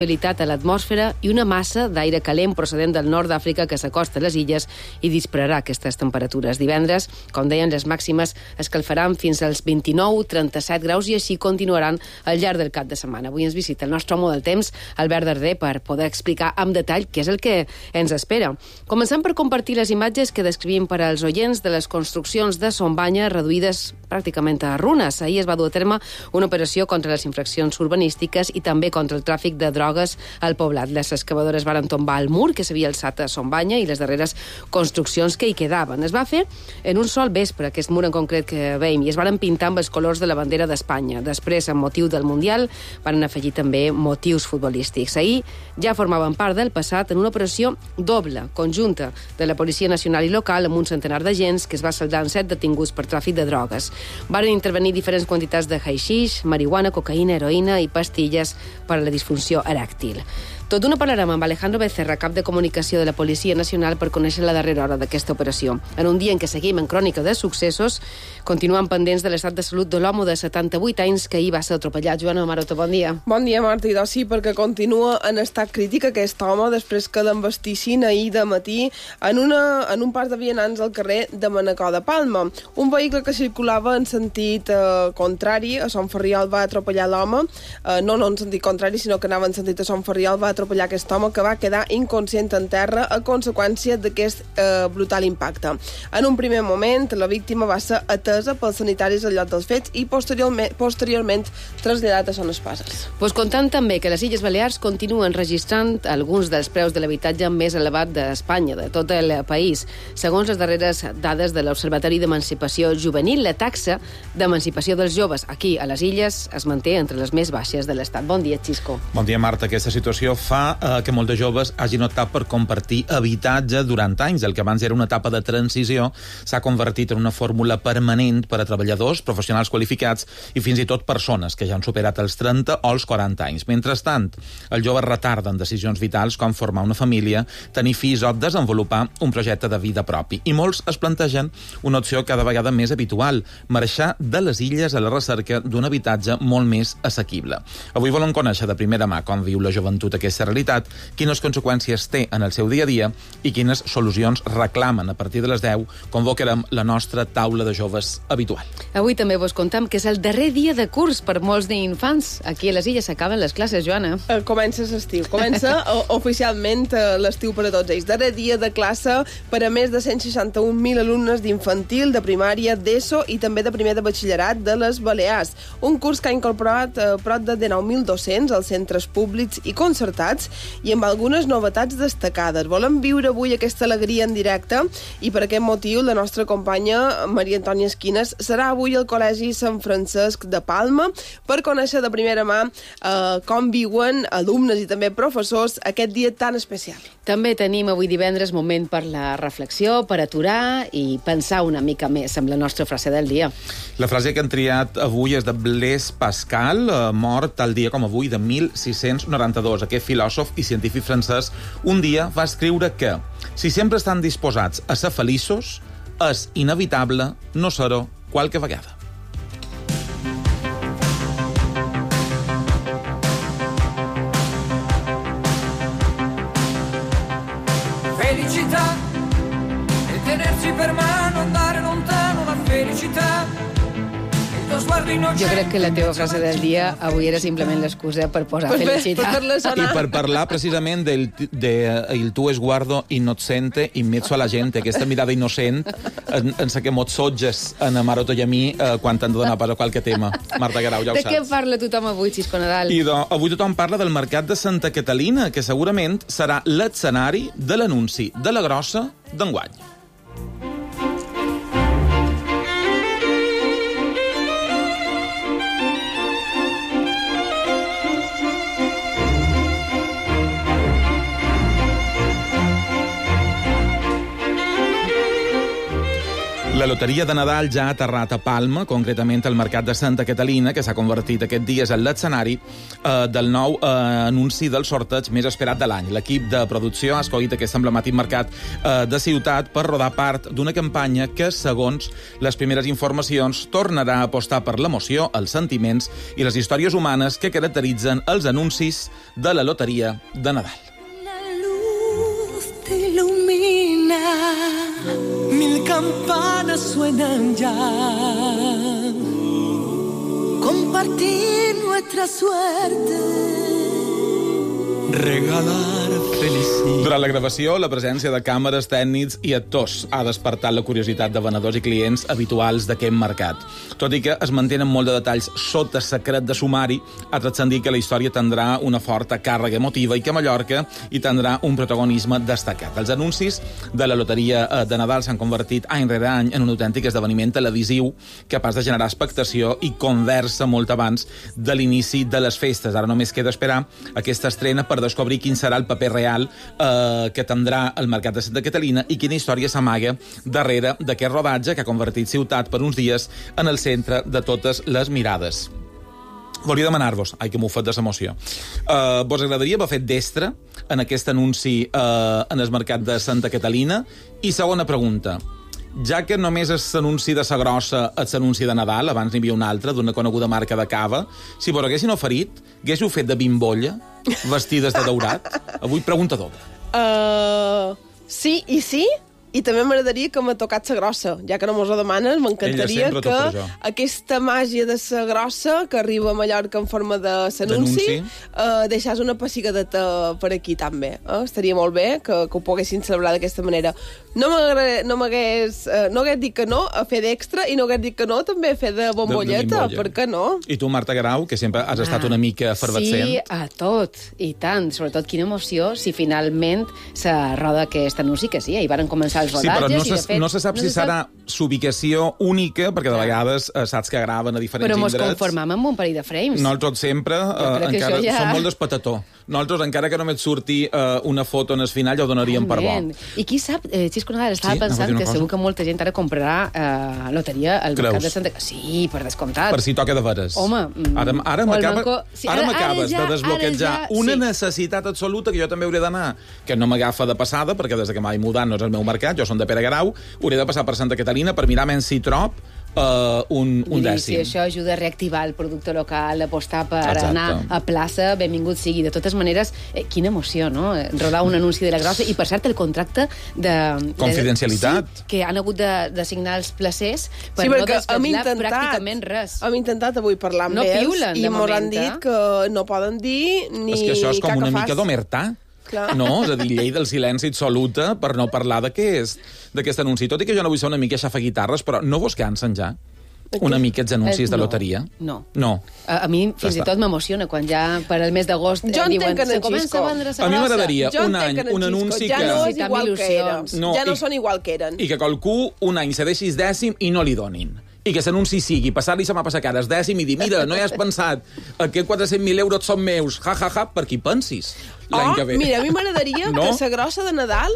a l'atmosfera i una massa d'aire calent procedent del nord d'Àfrica que s'acosta a les illes i dispararà aquestes temperatures. Divendres, com deien, les màximes escalfaran fins als 29-37 graus i així continuaran al llarg del cap de setmana. Avui ens visita el nostre home del temps, Albert Darder, per poder explicar amb detall què és el que ens espera. Començant per compartir les imatges que descrivim per als oients de les construccions de Son Banya reduïdes pràcticament a runes. Ahir es va dur a terme una operació contra les infraccions urbanístiques i també contra el tràfic de drogues al poblat. Les excavadores van tombar el mur que s'havia alçat a Son Banya i les darreres construccions que hi quedaven. Es va fer en un sol vespre, aquest mur en concret que veiem, i es van pintar amb els colors de la bandera d'Espanya. Després, amb motiu del Mundial, van afegir també motius futbolístics. Ahir ja formaven part del passat en una operació doble, conjunta, de la Policia Nacional i local amb un centenar d'agents que es va saldar en 7 detinguts per tràfic de drogues. Varen intervenir diferents quantitats de haixix, marihuana, cocaïna, heroïna i pastilles per a la disfunció eràctil. Tot d'una parlarem amb Alejandro Becerra, cap de comunicació de la Policia Nacional, per conèixer la darrera hora d'aquesta operació. En un dia en què seguim en crònica de successos, continuem pendents de l'estat de salut de l'home de 78 anys que ahir va ser atropellat. Joana Maroto, bon dia. Bon dia, Marta. I sí, perquè continua en estat crític aquest home després que l'embastissin ahir de matí en un pas de vianants al carrer de Manacor de Palma. Un vehicle que circulava en sentit contrari a Son Ferriol va atropellar l'home, no en sentit contrari, sinó que anava en sentit a Son Ferriol, va atropellar aquest home que va quedar inconscient en terra a conseqüència d'aquest brutal impacte. En un primer moment, la víctima va ser atesa pels sanitaris al lloc dels fets i posteriorment traslladat a Son Espases. Pues comptant també que les Illes Balears continuen registrant alguns dels preus de l'habitatge més elevat d'Espanya, de tot el país. Segons les darreres dades de l'Observatori d'Emancipació Juvenil, la taxa d'emancipació dels joves aquí a les Illes es manté entre les més baixes de l'Estat. Bon dia, Xisco. Bon dia, Marta. Aquesta situació fa que molts de joves hagin optat per compartir habitatge durant anys. El que abans era una etapa de transició s'ha convertit en una fórmula permanent per a treballadors, professionals qualificats i fins i tot persones que ja han superat els 30 o els 40 anys. Mentrestant, els joves retarden decisions vitals com formar una família, tenir fills o desenvolupar un projecte de vida propi. I molts es plantegen una opció cada vegada més habitual, marxar de les illes a la recerca d'un habitatge molt més assequible. Avui volem conèixer de primera mà com viu la joventut aquesta realitat, quines conseqüències té en el seu dia a dia i quines solucions reclamen. A partir de les 10 convocarem la nostra taula de joves habitual. Avui també vos contam que és el darrer dia de curs per molts d'infants. Aquí a les Illes s'acaben les classes, Joana. Comença l'estiu. Comença oficialment l'estiu per a tots ells. Darrer dia de classe per a més de 161.000 alumnes d'infantil, de primària, d'ESO i també de primer de batxillerat de les Balears. Un curs que ha incorporat prop de 19.200 als centres públics i concertats i amb algunes novetats destacades. Volem viure avui aquesta alegria en directe i per aquest motiu la nostra companya Maria Antònia Esquines serà avui al Col·legi Sant Francesc de Palma per conèixer de primera mà com viuen alumnes i també professors aquest dia tan especial. També tenim avui divendres moment per la reflexió, per aturar i pensar una mica més amb la nostra frase del dia. La frase que han triat avui és de Blaise Pascal, mort tal dia com avui de 1692. Aquest filòsof i científic francès un dia va escriure que si sempre estan disposats a ser feliços, és inevitable no ser-ho qualque vegada. Felicità e tenersi per mano, andare lontano, la felicità. Jo crec que la teva frase del dia avui era simplement l'excusa per posar felicitat. I per parlar precisament del tu esguardo innocente in mezzo alla gente, aquesta mirada innocent en sa que mos sotges en Maroto i a mi quan t'han de donar pas a qualque tema. Marta Guerau, ja ho saps. De què parla tothom avui, Xisco Nadal? Avui tothom parla del mercat de Santa Catalina, que segurament serà l'escenari de l'anunci de la grossa d'enguany. La loteria de Nadal ja ha aterrat a Palma, concretament al mercat de Santa Catalina, que s'ha convertit aquest dies en l'escenari del nou anunci del sorteig més esperat de l'any. L'equip de producció ha escollit aquest emblemàtic mercat de ciutat per rodar part d'una campanya que, segons les primeres informacions, tornarà a apostar per l'emoció, els sentiments i les històries humanes que caracteritzen els anuncis de la loteria de Nadal. La luz te ilumina, mil campanas suenan ya. Compartir nuestra suerte, regalar felicidad. Durant la gravació, la presència de càmeres, tècnics i actors ha despertat la curiositat de venedors i clients habituals d'aquest mercat. Tot i que es mantenen molt de detalls sota secret de sumari, ha transcendit que la història tindrà una forta càrrega emotiva i que Mallorca hi tindrà un protagonisme destacat. Els anuncis de la loteria de Nadal s'han convertit any rere any en un autèntic esdeveniment televisiu capaç de generar expectació i conversa molt abans de l'inici de les festes. Ara només queda esperar aquesta estrena per descobrir quin serà el paper real que tindrà el mercat de Santa Catalina i quina història s'amaga darrere d'aquest rodatge que ha convertit ciutat per uns dies en el centre de totes les mirades. Volia demanar-vos, ai que m'ho fet de l'emoció, vos agradaria haver fet d'extra en aquest anunci en el mercat de Santa Catalina? I segona pregunta, ja que només és l'anunci de sa grossa és l'anunci de Nadal, abans n'hi havia un altre d'una coneguda marca de cava, si vos haguessin oferit, haguéssiu fet de bimbolla vestides de daurat? Avui pregunta doble. Sí i sí, i també m'agradaria que m'ha tocat sa grossa. Ja que no mos ho demanes, m'encantaria que aquesta màgia de sa grossa que arriba a Mallorca en forma de s'anunci deixàs una pessigadeta per aquí també. Estaria molt bé que ho poguessin celebrar d'aquesta manera. No hagués dit que no a fer d'extra i no hagués dit que no també a fer de bombolleta. Per què no? I tu, Marta Grau, que sempre has estat una mica efervescent. Sí, a tot, i tant. Sobretot quina emoció si finalment se roda aquest anunci, que sí, hi van començar els rodatges. Sí, però no se sap si serà s'ubicació única, perquè de vegades saps que graven a diferents indrets. Però mos conformam amb un parell de frames. Nosaltres sempre encara som molt despatató. Nosaltres, encara que només surti una foto en el final, ja ho donaríem per bo. I qui sap, Xisco Nadal, estava pensant que segur que molta gent ara comprarà loteria al mercat de Santa... Sí, per descomptat. Per si toca de veres. Home... Ara m'acabes de desbloquejar una necessitat absoluta que jo també hauré d'anar, que no m'agafa de passada, perquè des que m'he mudat no és el meu mercat, jo som de Pere Grau, hauré de passar per Santa Catalina per mirar menys si trob un dècim. Si això ajuda a reactivar el producte local, apostar per anar a plaça, benvingut sigui. De totes maneres, quina emoció, no? Rodar un anunci de la grossa. I, per cert, el contracte de... Confidencialitat. Sí, que han hagut de signar els placers per no desvetllar pràcticament res. Hem intentat avui parlar amb ells i ens han dit que no poden dir ni... És que això és com una mica d'omertà. No, és a dir, llei del silenci absoluta per no parlar d'aquest anunci. Tot i que jo no vull ser una mica xafaguitarres, però no vos cansen ja una mica els anuncis de loteria? No. A mi fins i tot m'emociona quan ja per al mes d'agost diuen se comença a vendre sa grossa. A mi m'agradaria un any, un anunci que... Ja no és igual que eren. Ja no són igual que eren. I que qualcú un any se deixi dècim i no li donin. I que s'anunci sigui, passar-li se m'ha passat cares dècim i dir, mira, no hi has pensat que 400.000 euros són meus, per qui pensis l'any que ve. Mira, a mi m'agradaria que sa grossa de Nadal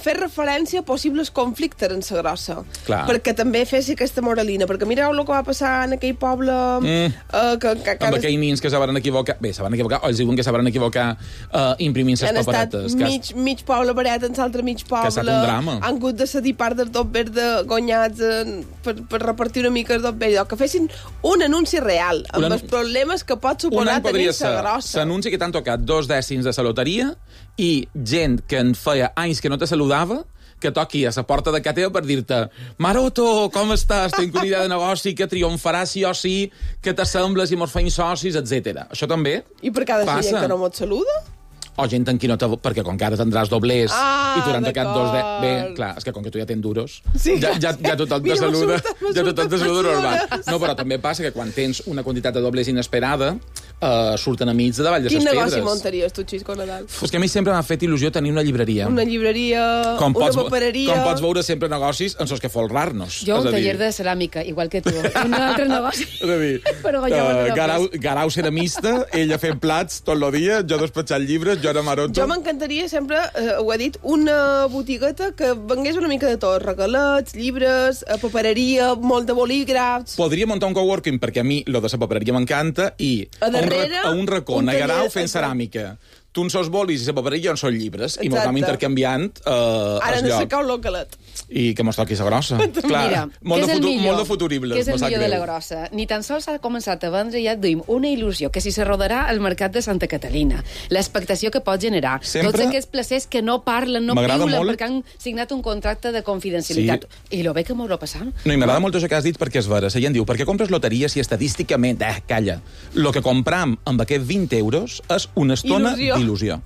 fer referència a possibles conflictes en sa grossa. Perquè també fes aquesta moralina. Perquè mireu el que va passar en aquell poble... Amb aquells nins que se van equivocar... Bé, se van equivocar, o els diuen que se van equivocar imprimint ses paperetes. Han estat mig poble paret en l'altre mig poble. Que ha estat un drama. Han hagut de cedir part del dot verde guanyats per repartir una mica el dot verde. Que fessin un anunci real, amb els problemes que pot suposar tenir sa grossa. S'anunci que t'han tocat 2 dècims de la loteria i gent que en feia anys que no te saludava, que toqui a la porta de casa teva per dir-te Maroto, com estàs? Tinc una idea de negoci que triomfarà sí o sí, que t'assembles i mos feim socis, etc. Això també passa. I per cada gent que no mos saluda? O gent en qui no te... Perquè com que ara tindràs doblers i durant aquest 2 de... Bé, clar, és que com que tu ja tens duros, ja tothom te saluda, normal. No, però també passa que quan tens una quantitat de doblers inesperada, surten amics de davall de les Quin pedres. negoci muntaries tu, Xisco Nadal? És que a mi sempre m'ha fet il·lusió tenir una llibreria. Una llibreria, una papereria... Com pots veure sempre negocis en els que folrar-nos. Jo un taller de ceràmica, igual que tu. Un altre negoci. És a dir, Però Garau ceramista, ella fent plats tot el dia, jo despatxant llibres, jo era maroto. Jo m'encantaria sempre, ho he dit, una botigueta que vengués una mica de tot. Regalets, llibres, papereria, molt de bolígrafs... Podria muntar un coworking, perquè a mi lo de la papereria m'encanta, i a un racó, a Garau fent ceràmica. Tu en sos bolis i la papereria en són llibres, i m'ho intercanviant ara no s'acau l'ocalet. I que mos toqui la grossa. Clar, mira, molt de futuribles. Què és el millor de la grossa? Ni tan sols s'ha començat a vendre, ja et duim una il·lusió, que si se rodarà al mercat de Santa Catalina, l'expectació que pot generar, tots aquests placers que no parlen, no piulen, perquè han signat un contracte de confidencialitat. I lo bé que m'ho passant. No, i m'agrada molt això que has dit, perquè és vera. La gent diu, per què compres loteria si estadísticament... calla. Lo que compram amb aquests 20 euros és una estona d'il·lusió.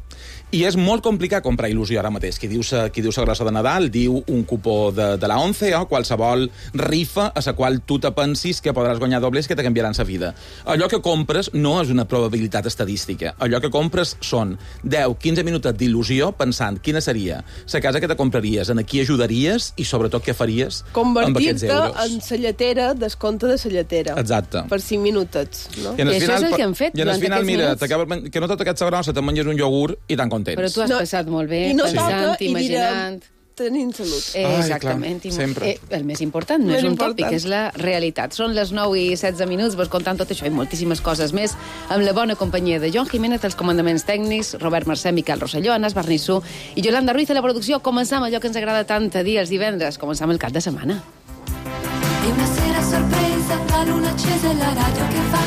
I és molt complicat comprar il·lusió ara mateix. Qui diu la grossa de Nadal, diu un cupó de la 11 o qualsevol rifa a la qual tu te pensis que podràs guanyar dobles que te canviaran la vida. Allò que compres no és una probabilitat estadística. Allò que compres són 10-15 minuts d'il·lusió pensant quina seria la casa que te compraries, en qui ajudaries i sobretot què faries amb aquests euros. Convertir-te en la lletera, descompte de la lletera. Exacte. Per 5 minutets, no? I això és el que hem fet durant aquests minuts. Mira, que no toca aquesta grossa, te menges un iogurt i tan contents. Però tu has passat molt bé, i no pensant, toca, imaginant... tenint salut. Exactament. Ai, clar, sempre. El més important no és un tòpic, és la realitat. Són les 9:16 minuts, vos contant tot això i moltíssimes coses més, amb la bona companyia de Joan Jiménez, els comandaments tècnics, Robert Mercè, Miquel Rosselló, Anas Barnissú i Yolanda Ruiz a la producció. Començam allò que ens agrada tant a dir els divendres, començam el cap de setmana. E una sera sorpresa, la luna accesa e la radio che fa,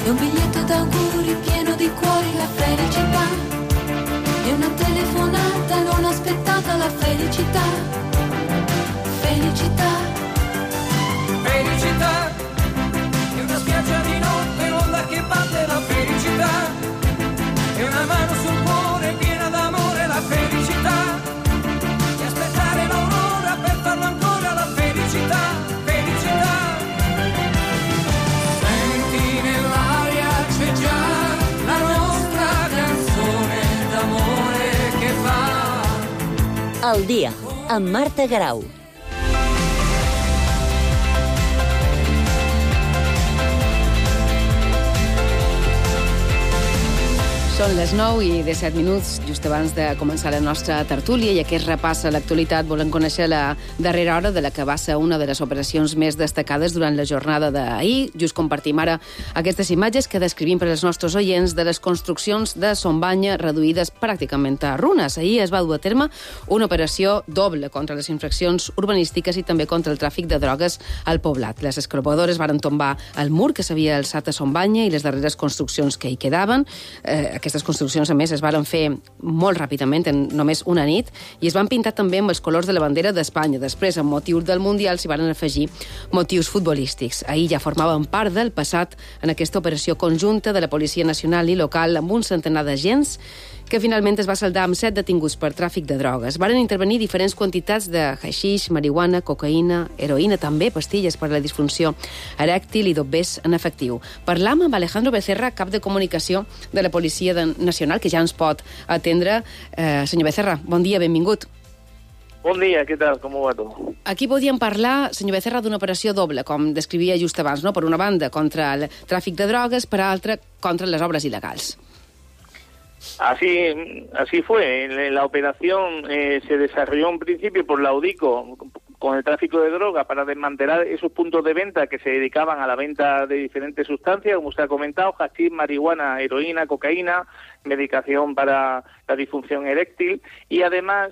e un biglietto d'auguri pieno di cuori, la felicità. E una telefonata non aspettata, la felicità. Felicità. Felicità. E una spiaggia di notte, l'onda che batte, la felicità. E una mano sul cuore piena d'amore, la felicità. E aspettare l'aurora per farlo ancora, la felicità. Felicità. Senti nell'aria c'è già la nostra canzone d'amore che fa. Al dia, amb Marta Garau. Són les 9:17, just abans de començar la nostra tertúlia, i aquest repàs a l'actualitat volem conèixer la darrera hora de la que va ser una de les operacions més destacades durant la jornada d'ahir. Just compartim ara aquestes imatges que descrivim per als nostres oients de les construccions de Son Banya reduïdes pràcticament a runes. Ahir es va dur a terme una operació doble contra les infraccions urbanístiques i també contra el tràfic de drogues al poblat. Les excavadores varen tombar el mur que s'havia alçat a Son Banya i les darreres construccions que hi quedaven. Aquestes construccions, a més, es varen fer molt ràpidament, en només una nit, i es van pintar també amb els colors de la bandera d'Espanya. Després, amb motius del Mundial, s'hi varen afegir motius futbolístics. Ahir ja formaven part del passat en aquesta operació conjunta de la Policia Nacional i local amb un centenar d'agents que finalment es va saldar amb 7 detinguts per tràfic de drogues. Varen intervenir diferents quantitats de haixix, marihuana, cocaïna, heroïna, també pastilles per a la disfunció erèctil i dobbers en efectiu. Parlam amb Alejandro Becerra, cap de comunicació de la Policia Nacional, que ja ens pot atendre. Senyor Becerra, bon dia, benvingut. Bon dia, què tal? Com va tot? Aquí podíem parlar, senyor Becerra, d'una operació doble, com descrivia just abans, no? Per una banda, contra el tràfic de drogues, per altra, contra les obres il·legals. Así fue. La operación se desarrolló en principio por la UDICO con el tráfico de droga para desmantelar esos puntos de venta que se dedicaban a la venta de diferentes sustancias, como usted ha comentado, hachís, marihuana, heroína, cocaína, medicación para la disfunción eréctil y además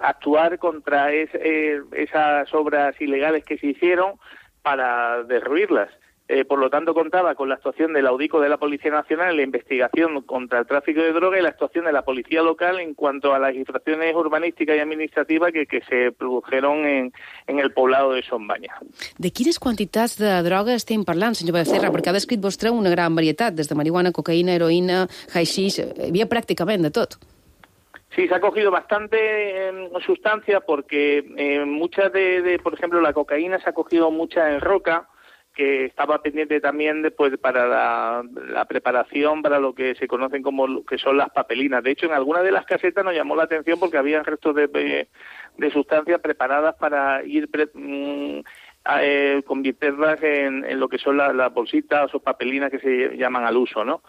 actuar contra esas obras ilegales que se hicieron para derruirlas. Por lo tanto, contaba con la actuación de la UDICO de la Policía Nacional en la investigación contra el tráfico de droga y la actuación de la Policía Local en cuanto a las infracciones urbanísticas y administrativas que se produjeron en el poblado de Son Banya. De quines quantitats de droga estem parlant, senyor Becerra? Perquè ha descrit vostre una gran varietat, des de marihuana, cocaïna, heroïna, haixix, hi havia pràcticament de tot. Sí, se ha cogido bastante sustancia porque muchas por ejemplo, la cocaína se ha cogido mucha en roca, que estaba pendiente también después para la preparación para lo que se conocen como lo que son las papelinas. De hecho, en alguna de las casetas nos llamó la atención porque había restos de sustancias preparadas para ir convertirlas en lo que son las bolsitas o papelinas que se llaman al uso, ¿no?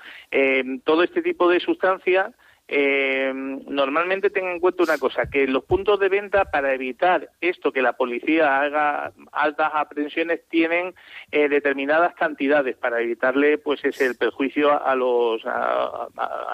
Todo este tipo de sustancias normalmente tengan en cuenta una cosa, que los puntos de venta, para evitar esto, que la policía haga altas aprehensiones, tienen determinadas cantidades para evitarle pues el perjuicio a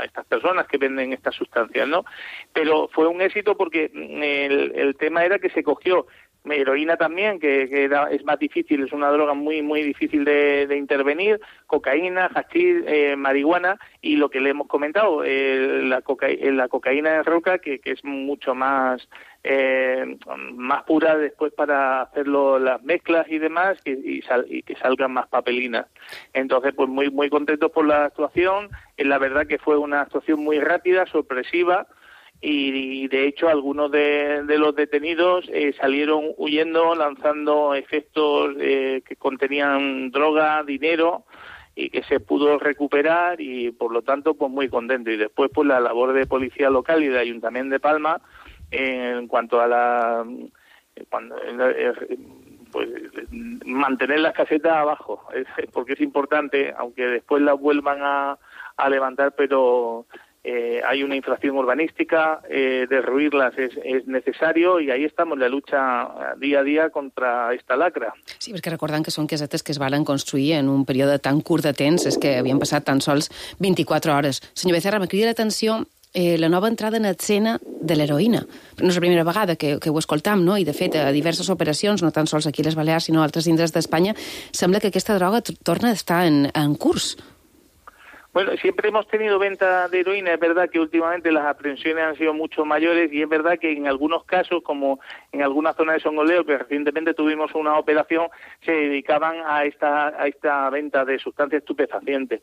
estas personas que venden estas sustancias, ¿no? Pero fue un éxito porque el tema era que se cogió heroína también, que es más difícil, es una droga muy muy difícil de intervenir, cocaína, hachís, marihuana, y lo que le hemos comentado, la cocaína de roca, que es mucho más pura después para hacerlo las mezclas y demás, y que salgan más papelinas. Entonces, pues muy muy contentos por la actuación. La verdad que fue una actuación muy rápida, sorpresiva, y de hecho algunos de los detenidos salieron huyendo, lanzando efectos que contenían droga, dinero, y que se pudo recuperar, y por lo tanto pues muy contento. Y después pues la labor de policía local y de Ayuntamiento de Palma en cuanto a pues mantener las casetas abajo, porque es importante, aunque después las vuelvan a levantar, pero hay una infracción urbanística, derruirlas es necesario, i ahí estamos, la lucha dia a dia contra esta lacra. Sí, perquè recordant que són casetes que es van construir en un període tan curt de temps, és que havien passat tan sols 24 hores. Senyor Becerra, me crida l'atenció la nova entrada en escena de l'heroïna. No és la primera vegada que ho escoltam, no? I de fet, a diverses operacions, no tan sols aquí a les Balears, sinó a altres indrets d'Espanya, sembla que aquesta droga torna a estar en curs. Bueno, siempre hemos tenido venta de heroína. Es verdad que últimamente las aprehensiones han sido mucho mayores, y es verdad que en algunos casos, como en alguna zona de Songoleo, que recientemente tuvimos una operación, se dedicaban a esta venta de sustancias estupefacientes.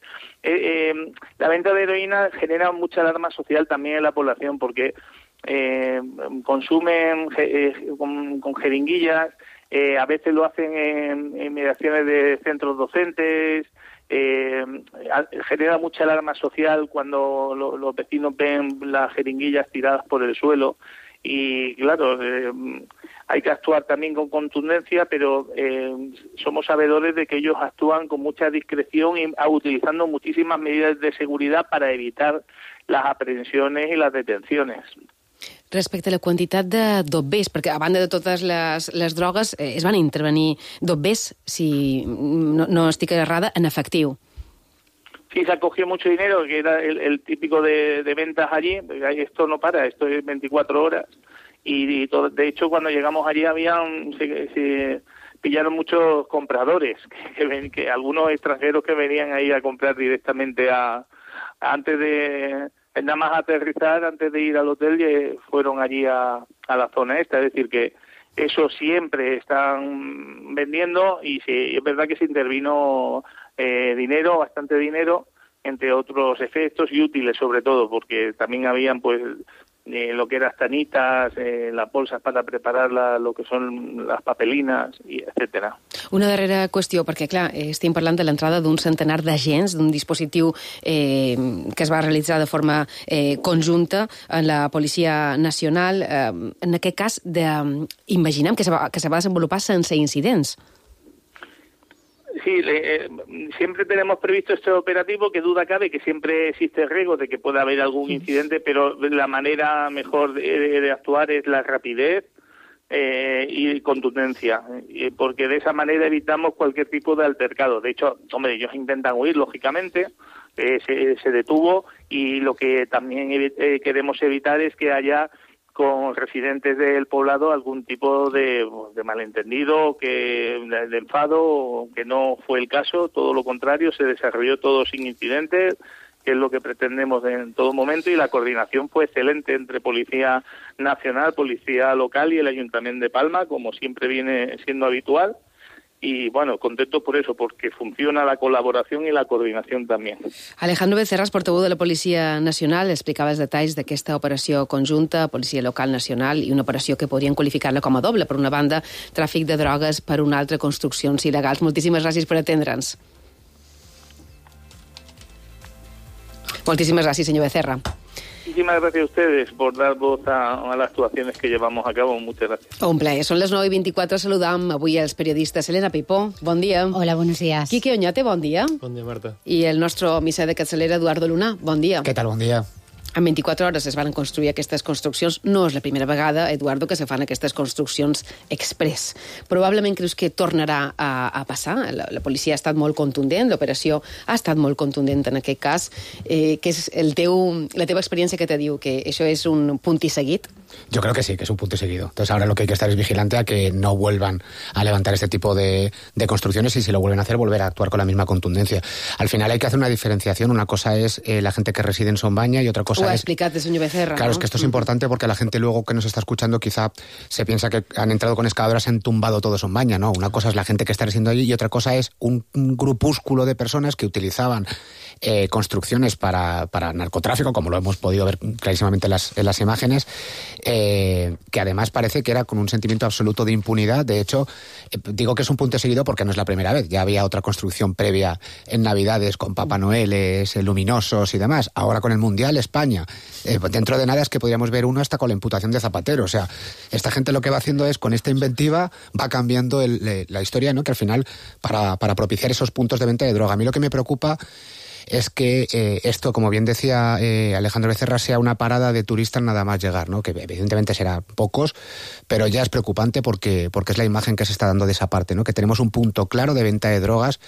La venta de heroína genera mucha alarma social también en la población, porque consumen con jeringuillas, a veces lo hacen en inmediaciones de centros docentes. Genera mucha alarma social cuando los vecinos ven las jeringuillas tiradas por el suelo, y claro, hay que actuar también con contundencia, pero somos sabedores de que ellos actúan con mucha discreción y utilizando muchísimas medidas de seguridad para evitar las aprehensiones y las detenciones. Respecte a la quantitat de dobbers, perquè a banda de totes les drogues es van intervenir dobbers, si no estic errada, en efectiu. Sí, se acogió mucho dinero, que era el típico de ventas allí. Esto no para, esto es 24 horas. Y todo, de hecho, cuando llegamos allí se pillaron muchos compradores, que algunos extranjeros que venían ahí a comprar directamente antes de nada más aterrizar, antes de ir al hotel, fueron allí a la zona esta. Es decir, que eso siempre están vendiendo, y sí, es verdad que se intervino dinero, bastante dinero, entre otros efectos, y útiles sobre todo, porque también habían pues lo que eran tanitas, las bolsas para preparar lo que son les papelinas, i etcètera. Una darrera qüestió, perquè clar, estem parlant de l'entrada d'un centenar d'agents, d'un dispositiu que es va realitzar de forma conjunta en la Policia Nacional. En aquest cas, imaginem que se va desenvolupar sense incidents. Sí, siempre tenemos previsto este operativo, que duda cabe que siempre existe el riesgo de que pueda haber algún incidente, pero la manera mejor de actuar es la rapidez y contundencia, porque de esa manera evitamos cualquier tipo de altercado. De hecho, hombre, ellos intentan huir, lógicamente, se detuvo, y lo que también queremos evitar es que haya con residentes del poblado algún tipo de malentendido, de enfado, que no fue el caso. Todo lo contrario, se desarrolló todo sin incidentes, que es lo que pretendemos en todo momento, y la coordinación fue excelente entre Policía Nacional, Policía Local y el Ayuntamiento de Palma, como siempre viene siendo habitual. y bueno, contentos por eso, porque funciona la colaboración y la coordinación también. Alejandro Becerra, portaveu de la Policia Nacional, explicava els detalls d'aquesta operació conjunta, Policia Local Nacional, i una operació que podrien qualificar-la com a doble. Per una banda, tràfic de drogues, per una altra, construccions il·legals. Moltíssimes gràcies per atendre'ns. Moltíssimes gràcies, senyor Becerra. Muchísimas gracias a ustedes por dar voz a las actuaciones que llevamos a cabo. Muchas gracias. Un plaer. Són les 9:24. Saludam avui els periodistes. Elena Pipó, bon dia. Hola, buenos días. Quique Oñate, bon dia. Bon dia, Marta. I el nostre missa de capçalera, Eduardo Luna, bon dia. Què tal, bon dia. En 24 hores es van construir aquestes construccions. No és la primera vegada, Eduardo, que se fan aquestes construccions express. Probablement creus que tornarà a passar? La policia ha estat molt contundent, l'operació ha estat molt contundent en aquest cas. Què és la teva experiència que te diu que això és un punt i seguit? Yo creo que sí, que es un punto y seguido. Entonces ahora lo que hay que estar es vigilante a que no vuelvan a levantar este tipo de construcciones y si lo vuelven a hacer, volver a actuar con la misma contundencia. Al final hay que hacer una diferenciación. Una cosa es la gente que reside en Sombaña y otra cosa Ho ha explicat el senyor Becerra. Claro, ¿no? es que esto es importante porque la gente luego que nos está escuchando quizá se piensa que han entrado con excavadoras, se han tumbado todo Sombaña, ¿no? Una cosa es la gente que está residiendo allí y otra cosa es un grupúsculo de personas que utilizaban construcciones para narcotráfico, como lo hemos podido ver clarísimamente en las imágenes, que además parece que era con un sentimiento absoluto de impunidad. De hecho, digo que es un punto seguido porque no es la primera vez. Ya había otra construcción previa en Navidades con Papá Noeles, luminosos y demás. Ahora con el Mundial, España. Dentro de nada es que podríamos ver uno hasta con la imputación de Zapatero. O sea, esta gente lo que va haciendo es, con esta inventiva, va cambiando la historia, ¿no? Que al final, para propiciar esos puntos de venta de droga. A mí lo que me preocupa es que esto, como bien decía Alejandro Becerra, sea una parada de turistas nada más llegar, ¿no? Que evidentemente será pocos, pero ya es preocupante porque es la imagen que se está dando de esa parte, ¿no? Que tenemos un punto claro de venta de drogas,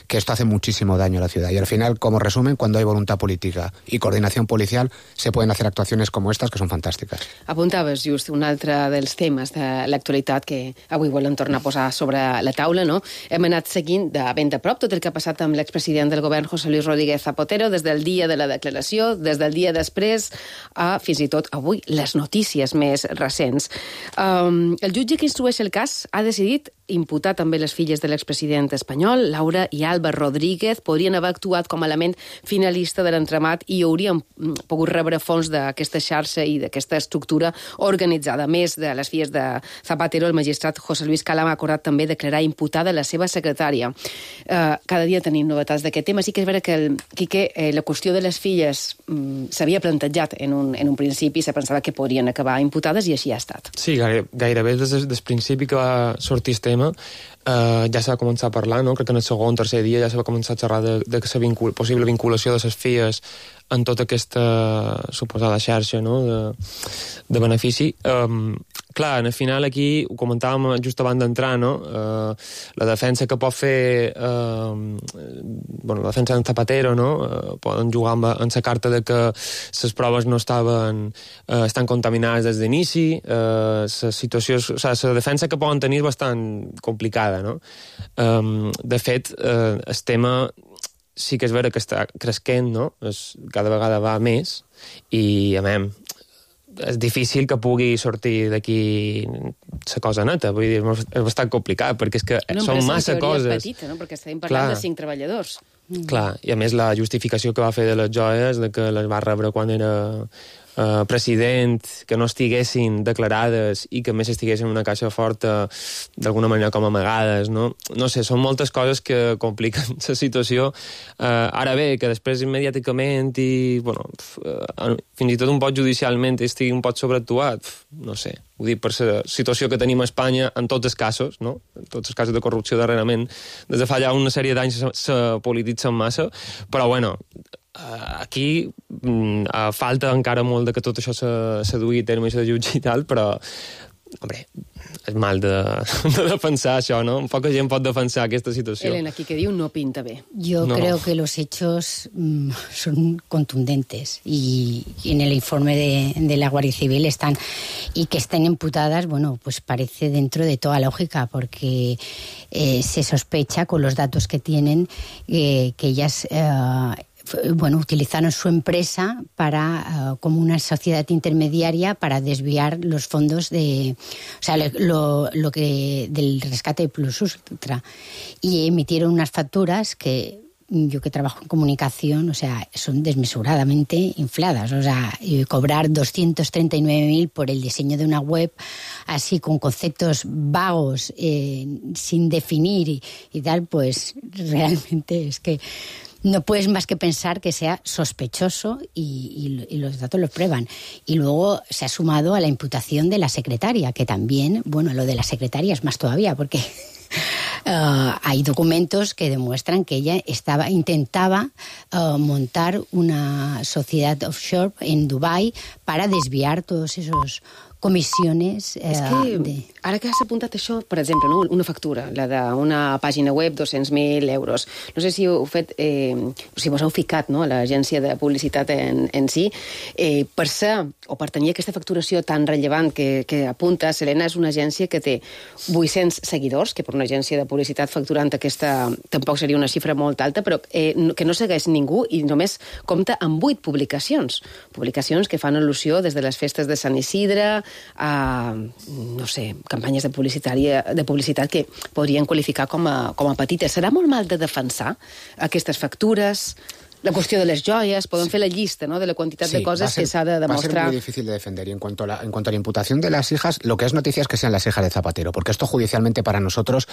que esto hace muchísimo daño a la ciudad. Y al final, como resumen, cuando hay voluntad política y coordinación policial, se pueden hacer actuacions com estas que són fantàstiques. Apuntaves just un altre dels temes de l'actualitat que avui volen tornar a posar sobre la taula, no? Hem anat seguint de ben de prop tot el que ha passat amb l'expresident del govern, José Luis Rodríguez Zapatero, des del dia de la declaració, des del dia després, a fins i tot avui les notícies més recents. El jutge que instrueix el cas ha decidit imputar també les filles de l'expresident espanyol, Laura i Alba Rodríguez, podrien haver actuat com a element finalista de l'entramat i haurien pogut rebre fons d'aquesta xarxa i d'aquesta estructura organitzada. A més de les filles de Zapatero, el magistrat José Luis Cala ha acordat també declarar imputada la seva secretària. Cada dia tenim novetats d'aquest tema. Sí que és vera que la qüestió de les filles s'havia plantejat en un principi, se pensava que podrien acabar imputades i així ha estat. Sí, gairebé des del principi que va sortir el tema ja s'ha començat a parlar, no? Crec que en el segon o tercer dia ja s'ha començat a xerrar de la possible vinculació de les filles en tota aquesta suposada xarxa, no? de benefici. Clar, al final aquí ho comentàvem just abans d'entrar, no? La defensa que pot fer la defensa d'en Zapatero, no? Poden jugar amb la carta de que les proves no estan contaminades des d'inici, la situació, o sigui, la defensa que poden tenir és bastant complicada, no? De fet, el tema sí que és vera que està cresquent, no? Cada vegada va més i, a més, és difícil que pugui sortir d'aquí la cosa neta, vull dir, és bastant complicat, perquè és que són massa coses. Petita, no? Perquè estem parlant de 5 treballadors. Clar, i a més la justificació que va fer de les joies, de que les va rebre quan era president, que no estiguessin declarades i que a més estiguessin en una caixa forta d'alguna manera com amagades, no? No sé, són moltes coses que compliquen la situació. Ara bé, que després immediàticament i, fins i tot un poc judicialment estigui un poc sobreactuat, no sé. Ho dic per la situació que tenim a Espanya en tots els casos, no? En tots els casos de corrupció darrerament. Des de fa ja una sèrie d'anys s'ha polititzat massa, però aquí falta encara molt de que tot això se duï a terme, això de jutge i tal, però, hombre, és mal de defensar això, ¿no? Poca gent pot defensar aquesta situació. Elena, aquí que diu no pinta bé. Yo creo que los hechos son contundentes y en el informe de la Guardia Civil están, y que estén imputadas, pues parece dentro de toda lógica, porque se sospecha con los datos que tienen que ellas utilizaron su empresa para como una sociedad intermediaria para desviar los fondos del rescate plus ultra, y emitieron unas facturas que yo, que trabajo en comunicación, o sea, son desmesuradamente infladas. O sea, cobrar 239.000 por el diseño de una web, así con conceptos vagos, sin definir y tal, pues realmente es que no puedes más que pensar que sea sospechoso, y los datos lo prueban. Y luego se ha sumado a la imputación de la secretaria, que también, bueno, lo de la secretaria es más todavía, porque hay documentos que demuestran que ella intentaba montar una sociedad offshore en Dubái para desviar todos esos comissiones. És que, ara que has apuntat això, per exemple, no? Una factura, la d'una pàgina web, 200.000 euros. No sé si heu fet, si vos heu ficat, no?, a l'agència de publicitat en si. Per ser, o per tenir aquesta facturació tan rellevant que apunta, Selena és una agència que té 800 seguidors, que per una agència de publicitat facturant aquesta tampoc seria una xifra molt alta, però que no segueix ningú, i només compta amb 8 publicacions. Publicacions que fan al·lusió des de les festes de Sant Isidre a, no sé, campanyes de publicitat que podrien qualificar com a petites. Serà molt mal de defensar aquestes factures? La cuestión de las joyas, podem fer la llista, ¿no?, de la quantitat de coses que s'ha de demostrar. Va a ser muy difícil de defender. Y en cuanto a la imputación de las hijas, lo que es noticia es que sean las hijas de Zapatero, porque esto judicialmente para nosotros,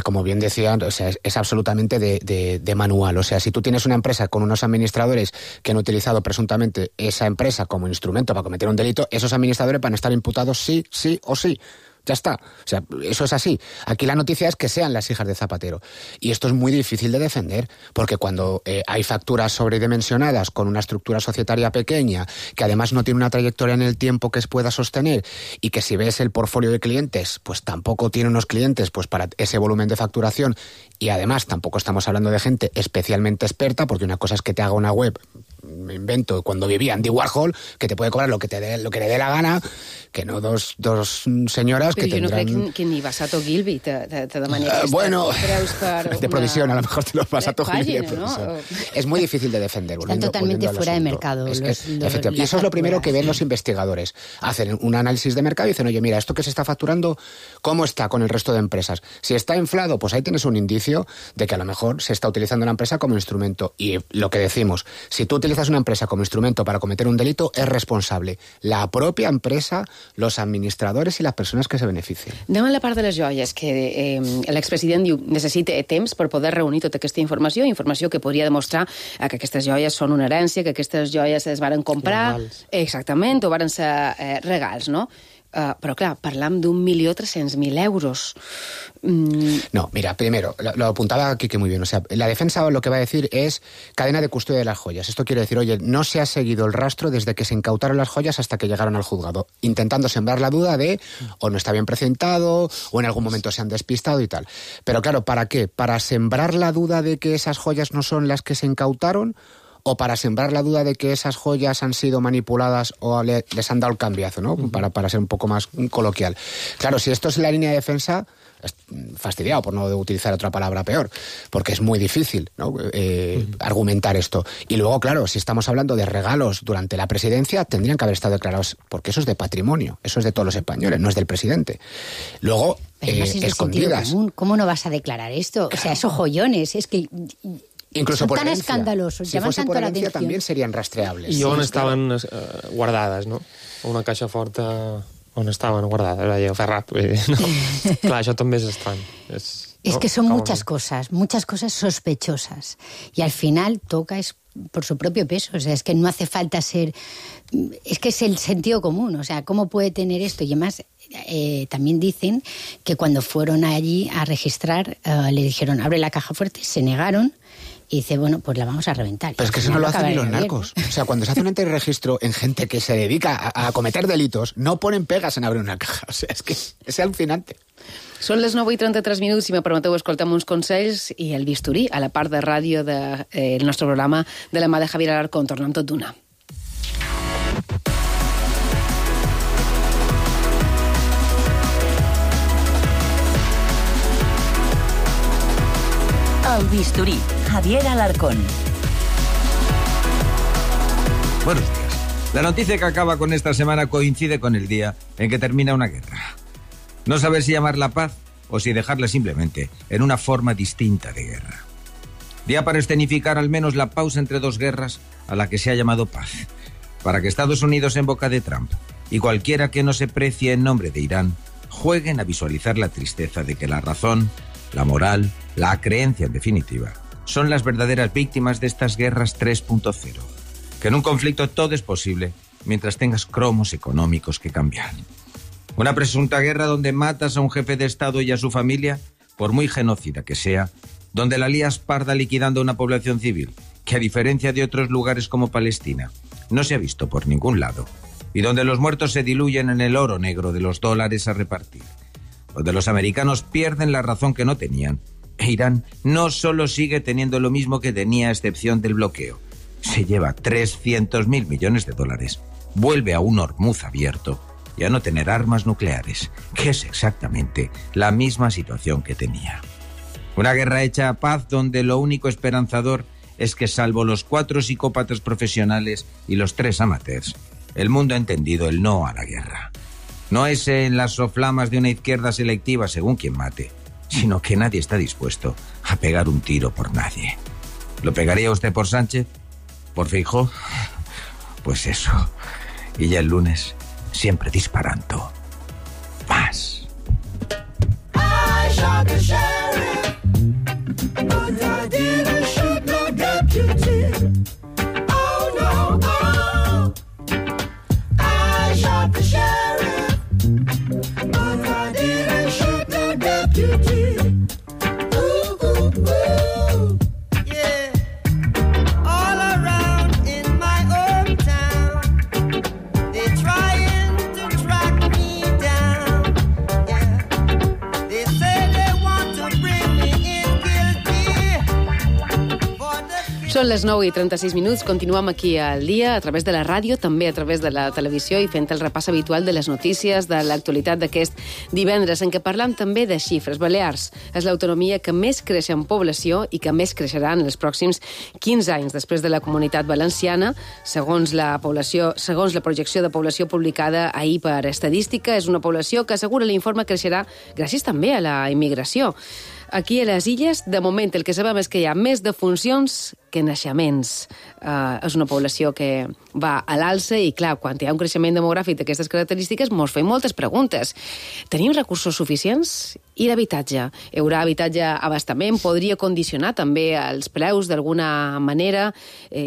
como bien decían, o sea, es absolutamente de manual. O sea, si tú tienes una empresa con unos administradores que han utilizado presuntamente esa empresa como instrumento para cometer un delito, esos administradores van a estar imputados sí o sí. Ya está. O sea, eso es así. Aquí la noticia es que sean las hijas de Zapatero. Y esto es muy difícil de defender, porque cuando hay facturas sobredimensionadas con una estructura societaria pequeña, que además no tiene una trayectoria en el tiempo que se pueda sostener, y que si ves el portfolio de clientes, pues tampoco tiene unos clientes pues para ese volumen de facturación, y además tampoco estamos hablando de gente especialmente experta, porque una cosa es que te haga una web, me invento, cuando vivía Andy Warhol, que te puede cobrar lo que le dé la gana, que no dos señoras que tendrán... Pero yo no creo que ni Basato Gilby te demanaria bueno, de provisión, a lo mejor te los Basato Gilby de provisión. ¿No? Es muy difícil de defender. Están totalmente fuera de mercado. Y eso es lo primero que ven los investigadores. Hacen un análisis de mercado y dicen, oye, mira, esto que se está facturando, ¿cómo está con el resto de empresas? Si está inflado, pues ahí tienes un indicio de que a lo mejor se está utilizando la empresa como instrumento. Y lo que decimos, si tú utilizas una empresa como instrumento para cometer un delito, es responsable la propia empresa, los administradores y las persones que se beneficien. Anem a la part de les joies, que l'expresident diu necessita temps per poder reunir tota aquesta informació que podria demostrar que aquestes joies són una herència, que aquestes joies es varen comprar, exactament, o varen ser regals, no? Però clar, parlam d'1.300.000 euros. No, mira, primero, lo apuntaba Quique muy bien, o sea, la defensa lo que va a decir es cadena de custodia de las joyas. Esto quiere decir, oye, no se ha seguido el rastro desde que se incautaron las joyas hasta que llegaron al juzgado, intentando sembrar la duda de o no está bien presentado o en algún momento se han despistado y tal. Pero claro, ¿para qué? ¿Para sembrar la duda de que esas joyas no son las que se incautaron? ¿O para sembrar la duda de que esas joyas han sido manipuladas o les han dado el cambiazo, ¿no? Para ser un poco más coloquial. Claro, si esto es la línea de defensa, fastidiado por no utilizar otra palabra peor, porque es muy difícil, ¿no?, argumentar esto. Y luego, claro, si estamos hablando de regalos durante la presidencia, tendrían que haber estado declarados, porque eso es de patrimonio, eso es de todos los españoles, no es del presidente. Luego, escondidas. ¿Cómo no vas a declarar esto? O sea, esos joyones, es que... Incluso son por tan herencia. Escandalosos, si fuese por herencia también serían rastreables. I on estaven guardades, no? Una caixa forta on estaven guardades, era Ferrat. No. Clar, això també és estrany. Es que son muchas cosas sospechosas. Y al final toca por su propio peso. O sea, es que no hace falta ser... Es que es el sentido común. O sea, ¿cómo puede tener esto? Y además, también dicen que cuando fueron allí a registrar, le dijeron, abre la caja fuerte, se negaron. Y dice, bueno, pues la vamos a reventar. Pero es que eso no lo hacen ni los narcos. O sea, cuando se hace un antirregistro en gente que se dedica a cometer delitos, no ponen pegas en abrir una caja. O sea, es que es alucinante. Són les 9:33, si me permeteu, escoltem uns consells i el bisturí a la part de ràdio del nostre programa de la mà de Javier Alarcón. Tornem tot d'una. El bisturí, Javier Alarcón. Buenos días. La noticia que acaba con esta semana coincide con el día en que termina una guerra. No saber si llamarla paz o si dejarla simplemente en una forma distinta de guerra. Día para escenificar al menos la pausa entre dos guerras a la que se ha llamado paz. Para que Estados Unidos, en boca de Trump, y cualquiera que no se precie en nombre de Irán, jueguen a visualizar la tristeza de que la razón, la moral, la creencia en definitiva, son las verdaderas víctimas de estas guerras 3.0. Que en un conflicto todo es posible mientras tengas cromos económicos que cambiar. Una presunta guerra donde matas a un jefe de Estado y a su familia, por muy genocida que sea, donde la lías parda liquidando a una población civil, que a diferencia de otros lugares como Palestina, no se ha visto por ningún lado, y donde los muertos se diluyen en el oro negro de los dólares a repartir, donde los americanos pierden la razón que no tenían, e Irán no solo sigue teniendo lo mismo que tenía a excepción del bloqueo, se lleva 300.000 millones de dólares, vuelve a un Hormuz abierto y a no tener armas nucleares, que es exactamente la misma situación que tenía. Una guerra hecha a paz donde lo único esperanzador es que, salvo los 4 psicópatas profesionales y los 3 amateurs, el mundo ha entendido el no a la guerra. No es en las soflamas de una izquierda selectiva según quien mate, sino que nadie está dispuesto a pegar un tiro por nadie. ¿Lo pegaría usted por Sánchez? ¿Por Feijóo? Pues eso. Y ya el lunes, siempre disparando. Más. I shot the sheriff, but I didn't shoot no deputy. Oh no, oh. I shot the sheriff, but I didn't shoot no deputy. Ooh, ooh, ooh. Yeah. All around in my hometown, they're trying to track me down. Yeah. They say they want to bring me in guilty for the... Són les 9:36, continuem aquí al dia a través de la ràdio, també a través de la televisió i fent el repàs habitual de les notícies de l'actualitat d'aquest divendres, en què parlam també de xifres. Balears és l'autonomia que més creix en població i que més creixerà en els pròxims 15 anys, després de la Comunitat Valenciana, segons la projecció de població publicada ahir per Estadística. És una població que, assegura l'informe, creixerà gràcies també a la immigració. Aquí a les Illes, de moment, el que sabem és que hi ha més defuncions que naixements. És una població que va a l'alça i, clar, quan hi ha un creixement demogràfic d'aquestes característiques, ens fem moltes preguntes. Tenim recursos suficients? I l'habitatge? Hi haurà habitatge a abastament? Podria condicionar també els preus d'alguna manera?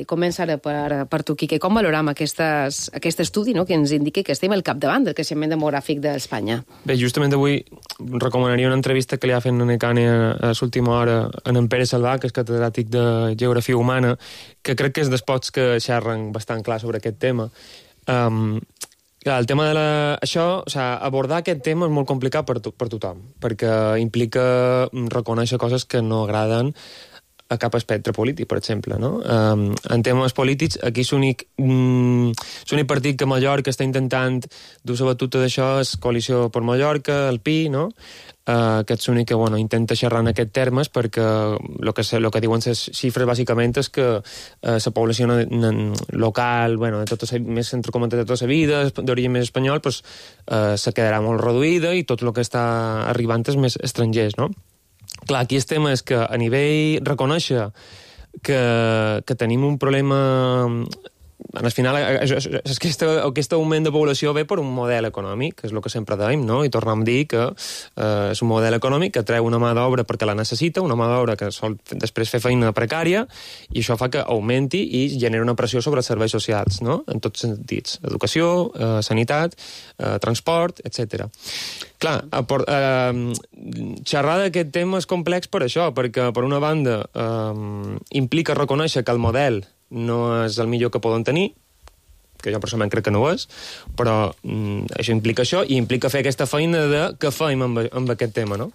Comença ara per tu, Quique. Com valorem aquest estudi, no?, que ens indica que estem al capdavant del creixement demogràfic d'Espanya? Bé, justament avui recomanaria una entrevista que li ha fet en Necane a l'última hora en Pere Salvà, que és catedràtic de Geografia Humana, que crec que és dels pocs que xerren bastant clar sobre aquest tema. El tema de abordar aquest tema és molt complicat per tothom, perquè implica reconèixer coses que no agraden a cap espectre polític, per exemple, no? En temes polítics, aquí l'únic partit que a Mallorca està intentant dur la batuta d'això és Coalició per Mallorca, el PI, no? Que és l'únic que intenta xerrar en aquests termes, perquè el que diuen les xifres bàsicament és que la població local, més entrecomentat de tota la vida, d'origen més espanyol, se quedarà molt reduïda i tot el que està arribant és més estrangers, no? Clar, aquí el tema és que a nivell reconèixer que tenim un problema... Al final, aquest augment de població ve per un model econòmic, que és el que sempre dèiem, no? I tornem a dir que és un model econòmic que treu una mà d'obra perquè la necessita, una mà d'obra que sol després fer feina precària, i això fa que augmenti i genera una pressió sobre els serveis socials, no?, en tots sentits. Educació, sanitat, transport, etc. Clar, xerrar d'aquest tema és complex per això, perquè, per una banda, implica reconèixer que el model no és el millor que poden tenir, que jo personalment crec que no ho és, però això implica això, i implica fer aquesta feina de què fem amb aquest tema, no?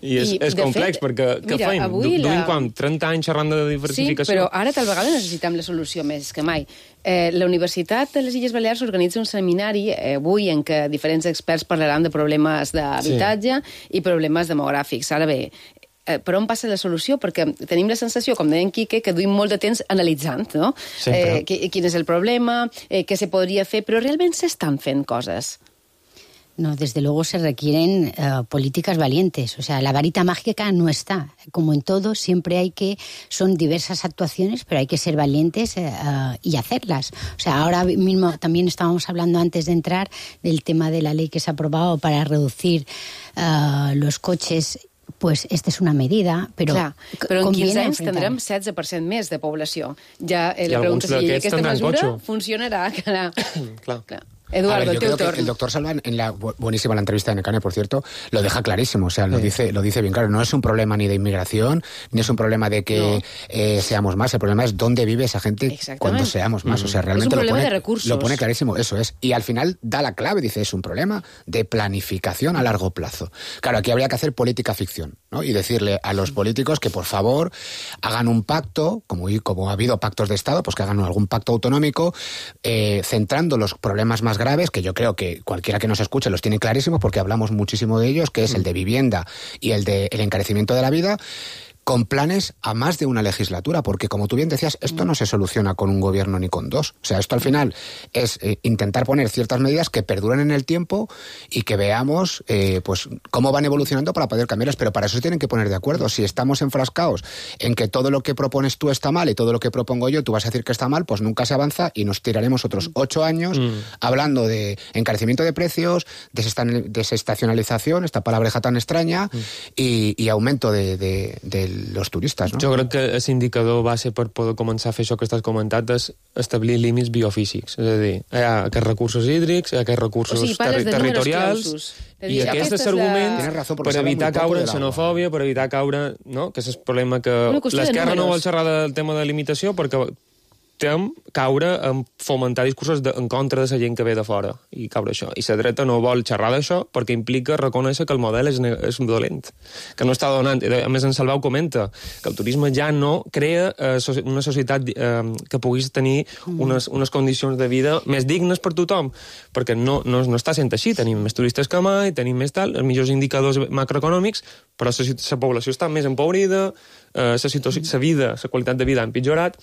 I és complex, perquè què fem? Duim quan? 30 anys xerrant de diversificació? Sí, però ara tal vegada necessitem la solució més que mai. La Universitat de les Illes Balears organitza un seminari avui en què diferents experts parlaran de problemes d'habitatge i problemes demogràfics. Ara bé, per on passa la solució? Perquè tenim la sensació, com deia en Quique, que duim molt de temps analitzant, no? Quin és el problema, què se podria fer, però realment s'estan fent coses. No, desde luego se requieren políticas valientes. O sea, la varita mágica no está. Como en todo, siempre son diversas actuaciones, pero hay que ser valientes y hacerlas. O sea, ahora mismo también estábamos hablando antes de entrar del tema de la ley que se ha aprobado para reducir los coches. Pues esta és una medida, però... Clar, però en 15 anys tindrem 16% més de població. Ja la pregunta si aquesta mesura funcionarà. Clar. Eduardo, yo creo que el doctor Salván, buenísima la entrevista de Necane, por cierto, lo deja clarísimo, o sea, lo dice bien claro. No es un problema ni de inmigración, ni es un problema de que seamos más, el problema es dónde vive esa gente cuando seamos más. O sea, realmente es un problema de recursos. Lo pone clarísimo, eso es. Y al final da la clave, dice, es un problema de planificación a largo plazo. Claro, aquí habría que hacer política ficción, ¿no? Y decirle a los políticos que, por favor, hagan un pacto, como ha habido pactos de Estado, pues que hagan algún pacto autonómico, centrando los problemas más graves, que yo creo que cualquiera que nos escuche los tiene clarísimos porque hablamos muchísimo de ellos, que es el de vivienda y el encarecimiento de la vida, con planes a más de una legislatura, porque como tú bien decías, esto no se soluciona con un gobierno ni con dos. O sea, esto al final es intentar poner ciertas medidas que perduren en el tiempo y que veamos pues cómo van evolucionando para poder cambiarlas, pero para eso se tienen que poner de acuerdo. Si estamos enfrascados en que todo lo que propones tú está mal y todo lo que propongo yo tú vas a decir que está mal, pues nunca se avanza y nos tiraremos otros 8 años hablando de encarecimiento de precios, desestacionalización, esta palabreja tan extraña, y aumento de los turistes, no? Jo crec que l'indicador base per poder començar a fer això que estàs comentat és establir límits biofísics. És a dir, hi ha aquests recursos hídrics, hi ha aquests recursos territorials, i aquest és l'argument per evitar caure en xenofòbia, per evitar caure... No? Que és el problema que l'esquerra no vol xerrar del tema de limitació perquè tem caure en fomentar discursos en contra de la gent que ve de fora i caure això. I la dreta no vol xerrar d'això perquè implica reconèixer que el model és dolent, que no està donant. A més, en Salvau comenta que el turisme ja no crea una societat que puguis tenir unes condicions de vida més dignes per tothom, perquè no està sent així. Tenim més turistes que mai, tenim més tal, els millors indicadors macroeconòmics, però la població està més empobrida, la vida, la qualitat de vida ha empitjorat.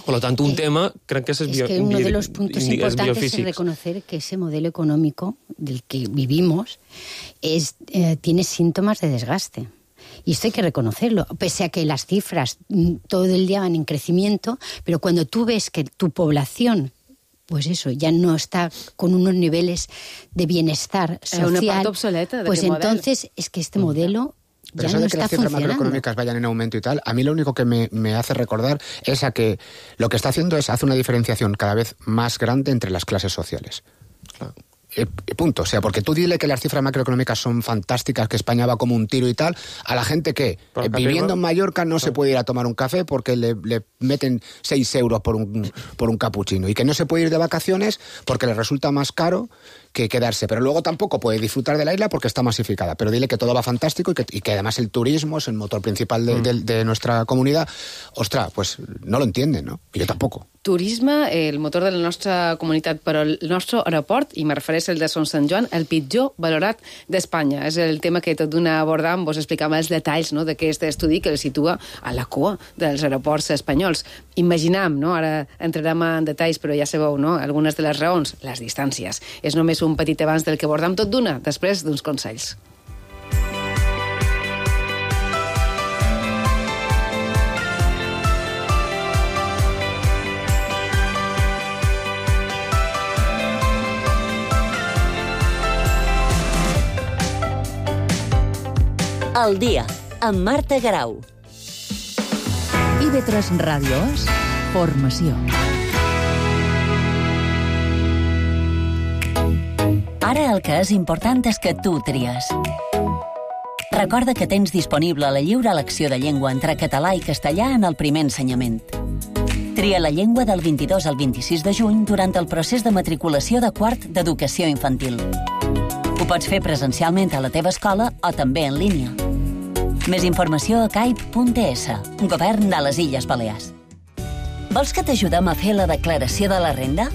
Por lo tanto, un tema, creo que es que uno de los puntos importantes es reconocer que ese modelo económico del que vivimos tiene síntomas de desgaste. Y esto hay que reconocerlo, pese a que las cifras todo el día van en crecimiento, pero cuando tú ves que tu población, pues eso, ya no está con unos niveles de bienestar social, una parte obsoleta pues entonces es que este modelo... Pero eso de que las cifras macroeconómicas vayan en aumento y tal, a mí lo único que me hace recordar es a que lo que está haciendo es hace una diferenciación cada vez más grande entre las clases sociales. Claro. Punto. O sea, porque tú dile que las cifras macroeconómicas son fantásticas, que España va como un tiro y tal, a la gente que viviendo en Mallorca no se puede ir a tomar un café porque le meten 6 euros por un capuchino, y que no se puede ir de vacaciones porque le resulta más caro que quedarse, pero luego tampoco puede disfrutar de la isla porque está masificada. Pero dile que todo va fantástico y que además el turismo es el motor principal de nuestra comunidad. Ostras, pues no lo entienden, ¿no? I jo tampoc. Turisme, el motor de la nostra comunitat, però el nostre aeroport, i me refereix al de Son Sant Joan, el pitjor valorat d'Espanya. És el tema que tot d'una abordam, vos explicava els detalls, no?, d'aquest estudi que el situa a la cua dels aeroports espanyols. Imaginam, no?, ara entrarem en detalls, però ja sabeu, no?, algunes de les raons, les distàncies. És només un petit abans del que abordam tot d'una, després d'uns consells. El dia, amb Marta Garau. IB3 Ràdio és formació. Ara el que és important és que tu tries. Recorda que tens disponible la lliure elecció de llengua entre català i castellà en el primer ensenyament. Tria la llengua del 22 al 26 de juny durant el procés de matriculació de quart d'educació infantil. Ho pots fer presencialment a la teva escola o també en línia. Més informació a caip.es, Govern de les Illes Balears. Vols que t'ajudem a fer la declaració de la renda?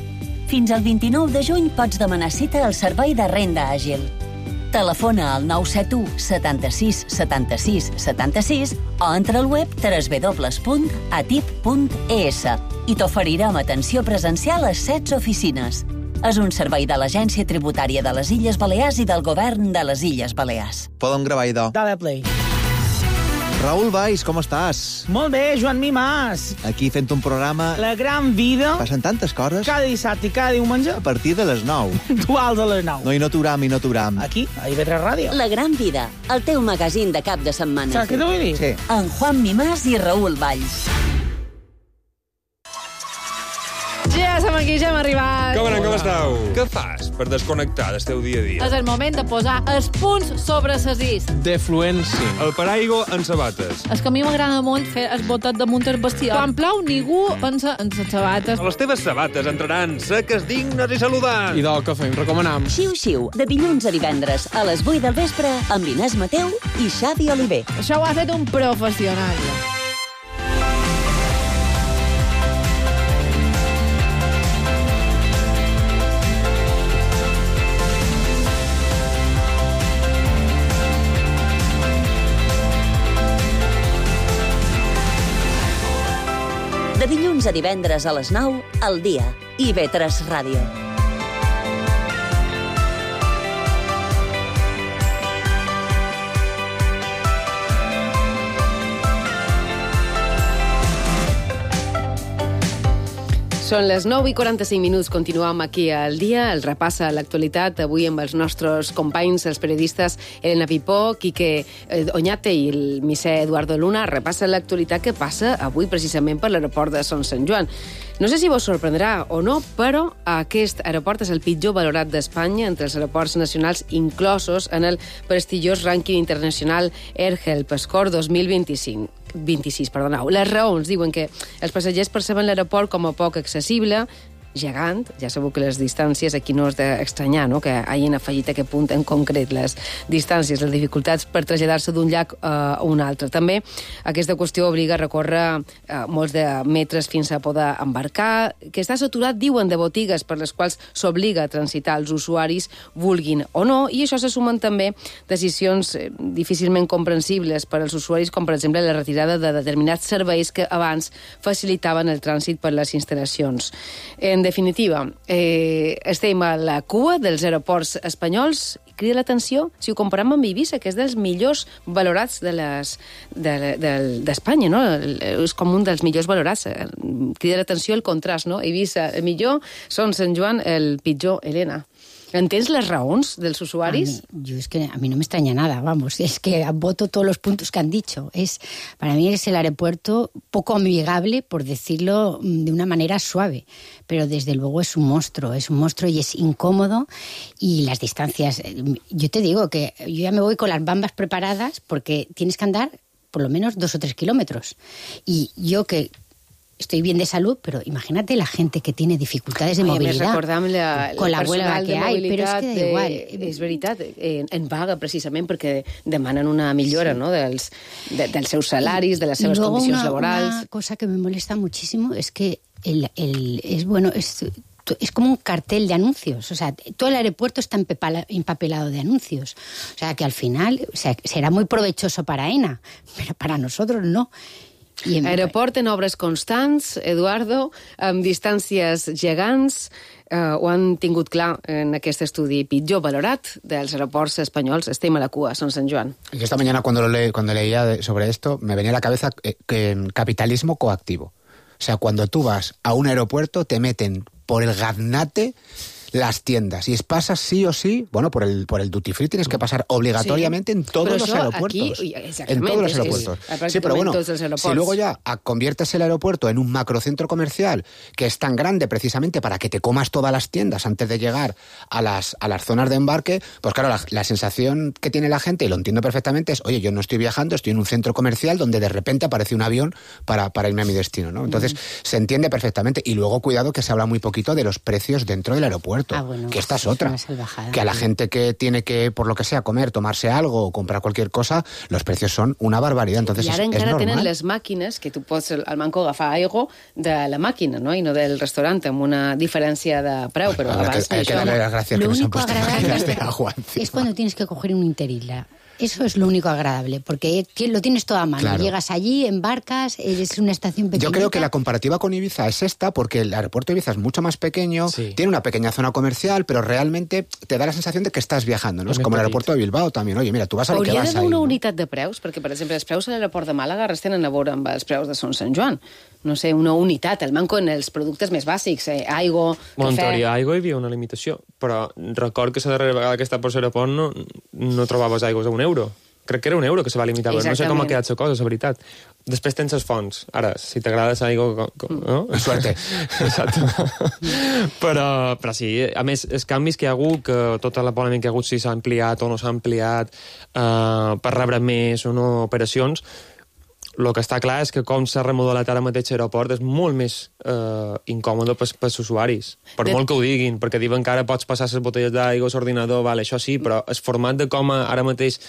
Fins al 29 de juny pots demanar cita al Servei de Renda Àgil. Telefona al 971 76 76 76 o entra al web www.atip.es i t'oferirem atenció presencial a 16 oficines. És un servei de l'Agència Tributària de les Illes Balears i del Govern de les Illes Balears. Podem gravar, idò. Dale play. Raül Valls, com estàs? Molt bé, Joan Mimàs. Aquí fent un programa... La gran vida. Passen tantes coses. Cada dissabte i cada diumenge. A partir de les 9. Duals a les 9. No, i no t'uram. Aquí, a IB3 Ràdio. La gran vida, el teu magazín de cap de setmana. Saps què t'ho vull dir? Sí. En Juan Mimàs i Raül Valls. Ja som aquí, ja hem arribat. Com estàu? Què fas per desconnectar del teu dia a dia? És el moment de posar els punts sobre les is. Defluència. El paraigua en sabates. És que a mi m'agrada molt fer el botet damunt el bestiar. Quan plou, ningú pensa en les sabates. Les teves sabates entraran seques, dignes i saludants. I del que fem, recomanam. Xiu-xiu, de dilluns a divendres, a les 8 del vespre, amb Inés Mateu i Xavi Oliver. Això ho ha fet un professional. De dilluns a divendres a les 9, al dia. IB3 Ràdio. Són les 9:45. Continuem aquí al dia, el repàs a l'actualitat, avui amb els nostres companys, els periodistes Elena Pipó, Quique Oñate i el misser Eduardo Luna. Repassa l'actualitat que passa avui precisament per l'aeroport de Son Sant Joan. No sé si vos sorprendrà o no, però aquest aeroport és el pitjor valorat d'Espanya entre els aeroports nacionals inclosos en el prestigiós rànquing internacional AirHelp Score 2026. Les raons diuen que els passatgers perceben l'aeroport com a poc accessible, gegant, ja sabeu que les distàncies aquí no és d'estranyar, no?, que hagin afegit aquest punt en concret, les distàncies, les dificultats per traslladar-se d'un llac a un altre. També aquesta qüestió obliga a recórrer molts de metres fins a poder embarcar, que està saturat, diuen, de botigues per les quals s'obliga a transitar els usuaris, vulguin o no, i això se sumen també decisions difícilment comprensibles per als usuaris, com per exemple la retirada de determinats serveis que abans facilitaven el trànsit per les instal·lacions. En definitiva, estem a la cua dels aeroports espanyols. Crida l'atenció, si ho comparem amb Eivissa, que és dels millors valorats d'Espanya, no? És com un dels millors valorats. Crida l'atenció el contrast, no? Eivissa, el millor, Son Sant Joan, el pitjor, Elena. ¿Entens les raons dels usuaris? Es que a mí no me extraña nada, vamos, es que voto todos los puntos que han dicho. Para mí es el aeropuerto poco amigable, por decirlo de una manera suave, pero desde luego es un monstruo y es incómodo, y las distancias, yo te digo que yo ya me voy con las bambas preparadas porque tienes que andar por lo menos 2 o 3 kilómetros. Y yo que estoy bien de salud, pero imagínate la gente que tiene dificultades de movilidad con la huelga que hay, però és que da igual. És veritat, en vaga precisament perquè demanen una millora, ¿no?, dels seus salaris, de les seves condicions laborals. Una cosa que me molesta muchísimo es que es como un cartel de anuncios. O sea, todo el aeropuerto está empapelado de anuncios. O sea, que al final será muy provechoso para AENA, pero para nosotros no. Aeroport en obres constants, Eduardo, amb distàncies gegants, ho han tingut clar en aquest estudi pitjor valorat dels aeroports espanyols. Estem a la cua, Son Sant Joan. Yo esta mañana cuando leía sobre esto, me venía a la cabeza capitalismo coactivo. O sea, cuando tú vas a un aeropuerto, te meten por el gaznate las tiendas, y pasas sí o sí, bueno, por el duty free tienes que pasar obligatoriamente en todos los aeropuertos. En todos los aeropuertos. Sí, pero bueno, si luego ya conviertes el aeropuerto en un macrocentro comercial que es tan grande precisamente para que te comas todas las tiendas antes de llegar a las zonas de embarque, pues claro, la sensación que tiene la gente, y lo entiendo perfectamente, es, oye, yo no estoy viajando, estoy en un centro comercial donde de repente aparece un avión para irme a mi destino, ¿no? Entonces, se entiende perfectamente. Y luego, cuidado, que se habla muy poquito de los precios dentro del aeropuerto. aeropuerto. Bueno, que esta es otra. una salvajada. Que a la gente que tiene que, por lo que sea, comer, tomarse algo o comprar cualquier cosa, los precios son una barbaridad. Entonces I ara es encara normal. tenen les màquines que tu pots al Manco agafar aigua de la màquina, no? I no del restaurant, amb una diferència de preu, però abans hay que darle las gracias que Lo nos han único puesto agradable máquinas de agua encima. es cuando tienes que coger un Interisla. Eso es lo único agradable, porque lo tienes todo a mano. Claro. Llegas allí, embarcas, es una estación pequeñita. Yo creo que la comparativa con Ibiza es esta, porque el aeropuerto de Ibiza es mucho más pequeño, tiene una pequeña zona comercial, pero realmente te da la sensación de que estás viajando, ¿no? Es como el aeropuerto de Bilbao también. Oye, mira, tú vas a lo que Hauria vas d'haver ahí. una ¿no? unitat de preus, perquè, per exemple, els preus a l'aeroport de Màlaga res tenen a veure amb els preus de Son Sant Joan. No sé, una unitat, el Manco en els productes més bàsics, aigua, En cafè... teoria, aigua hi havia una limitació, però record que la darrera vegada que estava per l'aeroport no trobaves aigües a €1. Crec que era €1 que se va limitar, però no sé com ha quedat la cosa, la veritat. Després tens les fonts. Ara, si t'agrada l'aigua... No? Suerte. Exacte. però sí, a més, els canvis que hi ha hagut, que tota la polèmica que hi ha hagut, si s'ha ampliat o no s'ha ampliat, per rebre més o no operacions, el que està clar és que com s'ha remodelat ara mateix l'aeroport és molt més incòmode pels usuaris. Per molt que ho diguin, perquè diuen que ara pots passar les botelles d'aigua a l'ordinador, vale, això sí, però el format de com ara mateix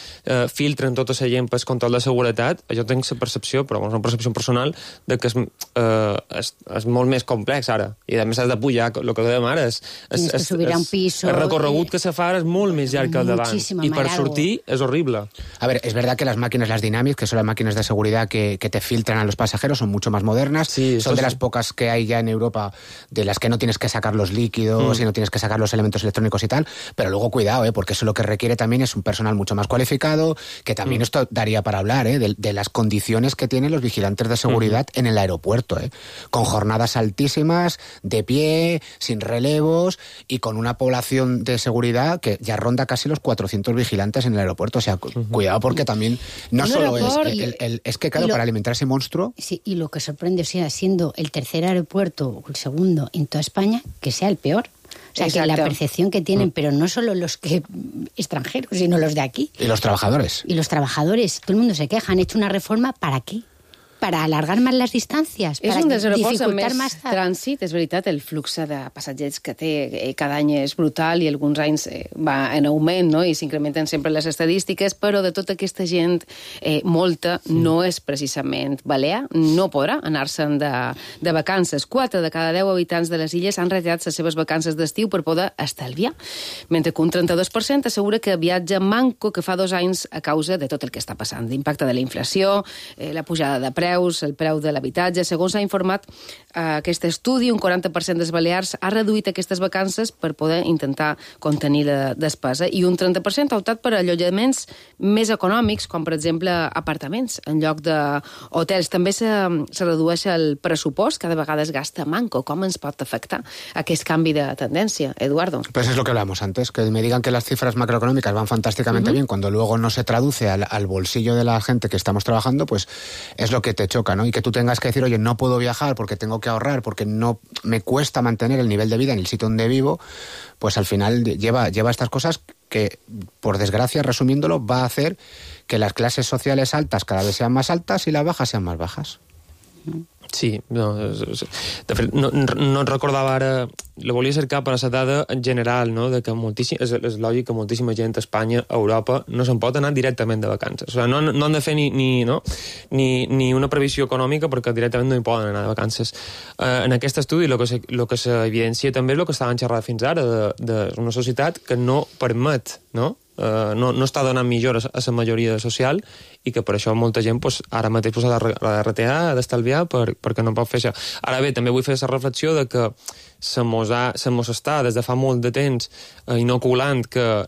filtren tota la gent pel control de seguretat, jo tinc la percepció, però és una percepció personal, de que és molt més complex ara. I a més has de pujar, el que dèiem ara, Tienes que subir a un piso... El recorregut que se fa ara és molt més llarg que el d'abans. I per sortir és horrible. A ver, es verdad que las máquinas, las Dynamics, que son las máquinas de seguridad que te filtran a los pasajeros, son mucho más modernas. Sí, son de sí. las pocas que hay ya en Europa, de las que no tienes que sacar los líquidos y no tienes que sacar los elementos electrónicos y tal. Pero luego cuidado, porque eso lo que requiere también es un personal mucho más cualificado, que también esto daría para hablar, de las condiciones que tienen los vigilantes de seguridad en el aeropuerto, con jornadas altísimas, de pie, sin relevos y con una población de seguridad que ya ronda casi los 400 vigilantes en el aeropuerto. O sea, cuidado, porque también no solo es que, claro, para alimentar ese monstruo... Sí, y lo que sorprende, o sea, siendo el tercer aeropuerto o el segundo en toda España, que sea el peor. O sea, Exacto. que la percepción que tienen, pero no solo los que extranjeros, sino los de aquí. Y los trabajadores. Y los trabajadores, todo el mundo se queja, han hecho una reforma, ¿para qué? Para alargar más las distancias, És para un dels aeroports amb dificultar més más trànsit, és veritat, el flux de passatgers que té cada any és brutal i alguns anys va en augment, no? I s'incrementen sempre les estadístiques, però de tota aquesta gent, molta no és precisament balear, no podrà anar-se'n de vacances. 4 de cada 10 habitants de les illes han retirat les seves vacances d'estiu per poder estalviar, mentre que un 32% assegura que viatja manco que fa 2 anys a causa de tot el que està passant, l'impacte de la inflació, la pujada de preus, el preu de l'habitatge. Segons s'ha informat aquest estudi, un 40% dels balears ha reduït aquestes vacances per poder intentar contenir la despesa i un 30% ha optat per allotjaments més econòmics, com per exemple apartaments en lloc d'hotels. També se redueix el pressupost, cada vegada es gasta manco. Com ens pot afectar aquest canvi de tendència, Eduardo? Pues es lo que hablamos antes, que me digan que las cifras macroeconómicas van fantásticamente bien, cuando luego no se traduce al bolsillo de la gente que estamos trabajando, pues es lo que te choca, ¿no? Y que tú tengas que decir, oye, no puedo viajar porque tengo que ahorrar, porque no me cuesta mantener el nivel de vida en el sitio donde vivo, pues al final lleva estas cosas que, por desgracia, resumiéndolo, va a hacer que las clases sociales altas cada vez sean más altas y las bajas sean más bajas. Sí, no, de fet, no recordava ara, la volia cercar per a la dada en general, no? De que és lògic que moltíssima gent a Espanya, a Europa, no se'n pot anar directament de vacances. O sigui, no han de fer ni una previsió econòmica perquè directament no hi poden anar de vacances. En aquest estudi el que s'evidencia també és el que estàvem xerrant fins ara, d'una societat que no permet, no està donant millores a la majoria social i que per això molta gent ara mateix ha de retear, ha d'estalviar perquè no pot fer això. Ara bé, també vull fer la reflexió de que se mos està des de fa molt de temps inoculant que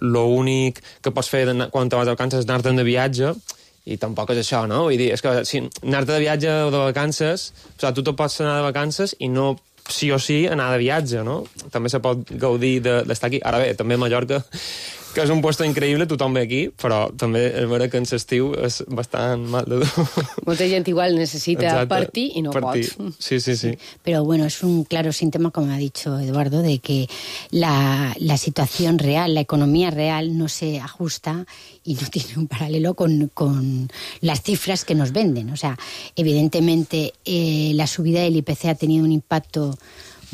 l'únic que pots fer quan te vas de vacances és anar-te'n de viatge, i tampoc és això, no? Vull dir, és que si anar-te de viatge o de vacances, o sigui, tu te pots anar de vacances i no sí o sí anar de viatge, no? També se pot gaudir d'estar aquí. Ara bé, també a Mallorca, que és un puesto increïble, tothom ve aquí, però també és vera que en l'estiu és bastant mal de dur. Molta gent igual necesita partir y no partir. pot. Sí. Pero bueno, es un claro síntoma, como ha dicho Eduardo, de que la situación real, la economía real no se ajusta y no tiene un paralelo con las cifras que nos venden. O sea, evidentemente la subida del IPC ha tenido un impacto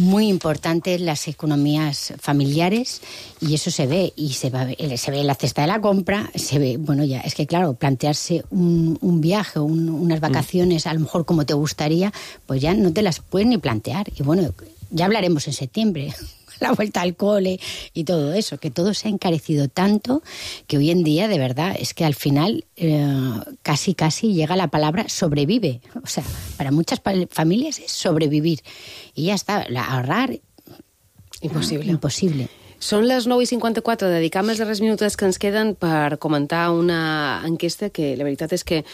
muy importantes las economías familiares y eso se ve, y se ve en la cesta de la compra, se ve, bueno, ya, es que claro, plantearse un viaje o unas vacaciones a lo mejor como te gustaría, pues ya no te las puedes ni plantear. Y bueno, ya hablaremos en septiembre, la vuelta al cole y todo eso, que todo se ha encarecido tanto que hoy en día, de verdad, es que al final casi llega la palabra sobrevive. O sea, para muchas familias es sobrevivir. I ja està, ahorrar... Impossible. Són les 9:54, dedicam els darrers minuts que ens queden per comentar una enquesta que la veritat és que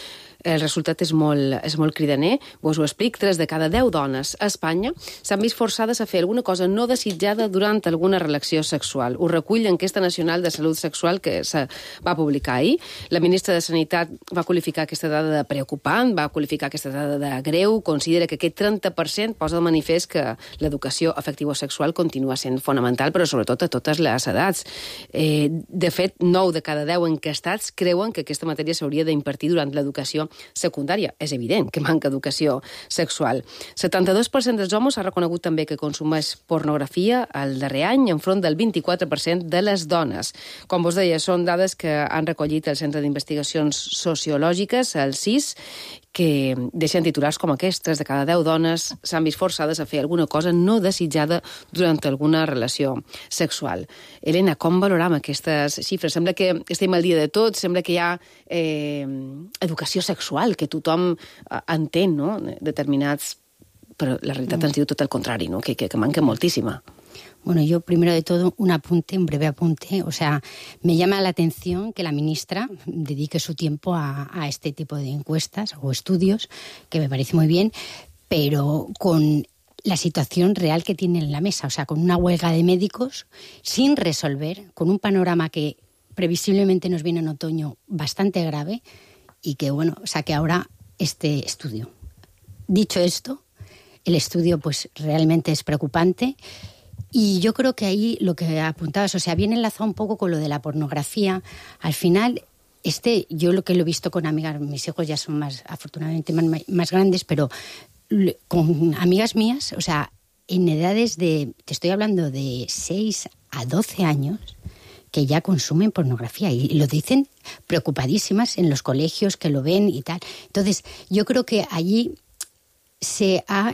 el resultat és molt cridaner. Vos ho explic, 3 de cada 10 dones a Espanya s'han vist forçades a fer alguna cosa no desitjada durant alguna relació sexual. Ho recull l'enquesta nacional de salut sexual que se va publicar ahir. La ministra de Sanitat va qualificar aquesta dada de preocupant, va qualificar aquesta dada de greu, considera que aquest 30% posa de manifest que l'educació afectivo-sexual continua sent fonamental, però sobretot a totes les edats. De fet, 9 de cada 10 enquestats creuen que aquesta matèria s'hauria d'impartir durant l'educació secundària. És evident que manca educació sexual. 72% dels homes ha reconegut també que consumeix pornografia el darrer any, enfront del 24% de les dones. Com vos deia, són dades que han recollit el Centre d'Investigacions Sociològiques, el CIS, que deixen titulars com aquests. 3 de cada 10 dones s'han vist forçades a fer alguna cosa no desitjada durant alguna relació sexual. Helena, com valoram aquestes xifres? Sembla que estem al dia de tot, sembla que hi ha educació sexual, que tothom entén, no?, determinats... Però la realitat ens diu tot el contrari, no?, que manca moltíssima. Bueno, yo primero de todo un breve apunte. O sea, me llama la atención que la ministra dedique su tiempo a este tipo de encuestas o estudios, que me parece muy bien, pero con la situación real que tiene en la mesa, o sea, con una huelga de médicos sin resolver, con un panorama que previsiblemente nos viene en otoño bastante grave y que, bueno, saque ahora este estudio. Dicho esto, el estudio pues realmente es preocupante. Y yo creo que ahí lo que apuntabas, o sea, viene enlazado un poco con lo de la pornografía. Al final, yo lo que lo he visto con amigas, mis hijos ya son afortunadamente más grandes, pero con amigas mías, o sea, en edades te estoy hablando de 6 a 12 años, que ya consumen pornografía y lo dicen preocupadísimas en los colegios, que lo ven y tal. Entonces, yo creo que allí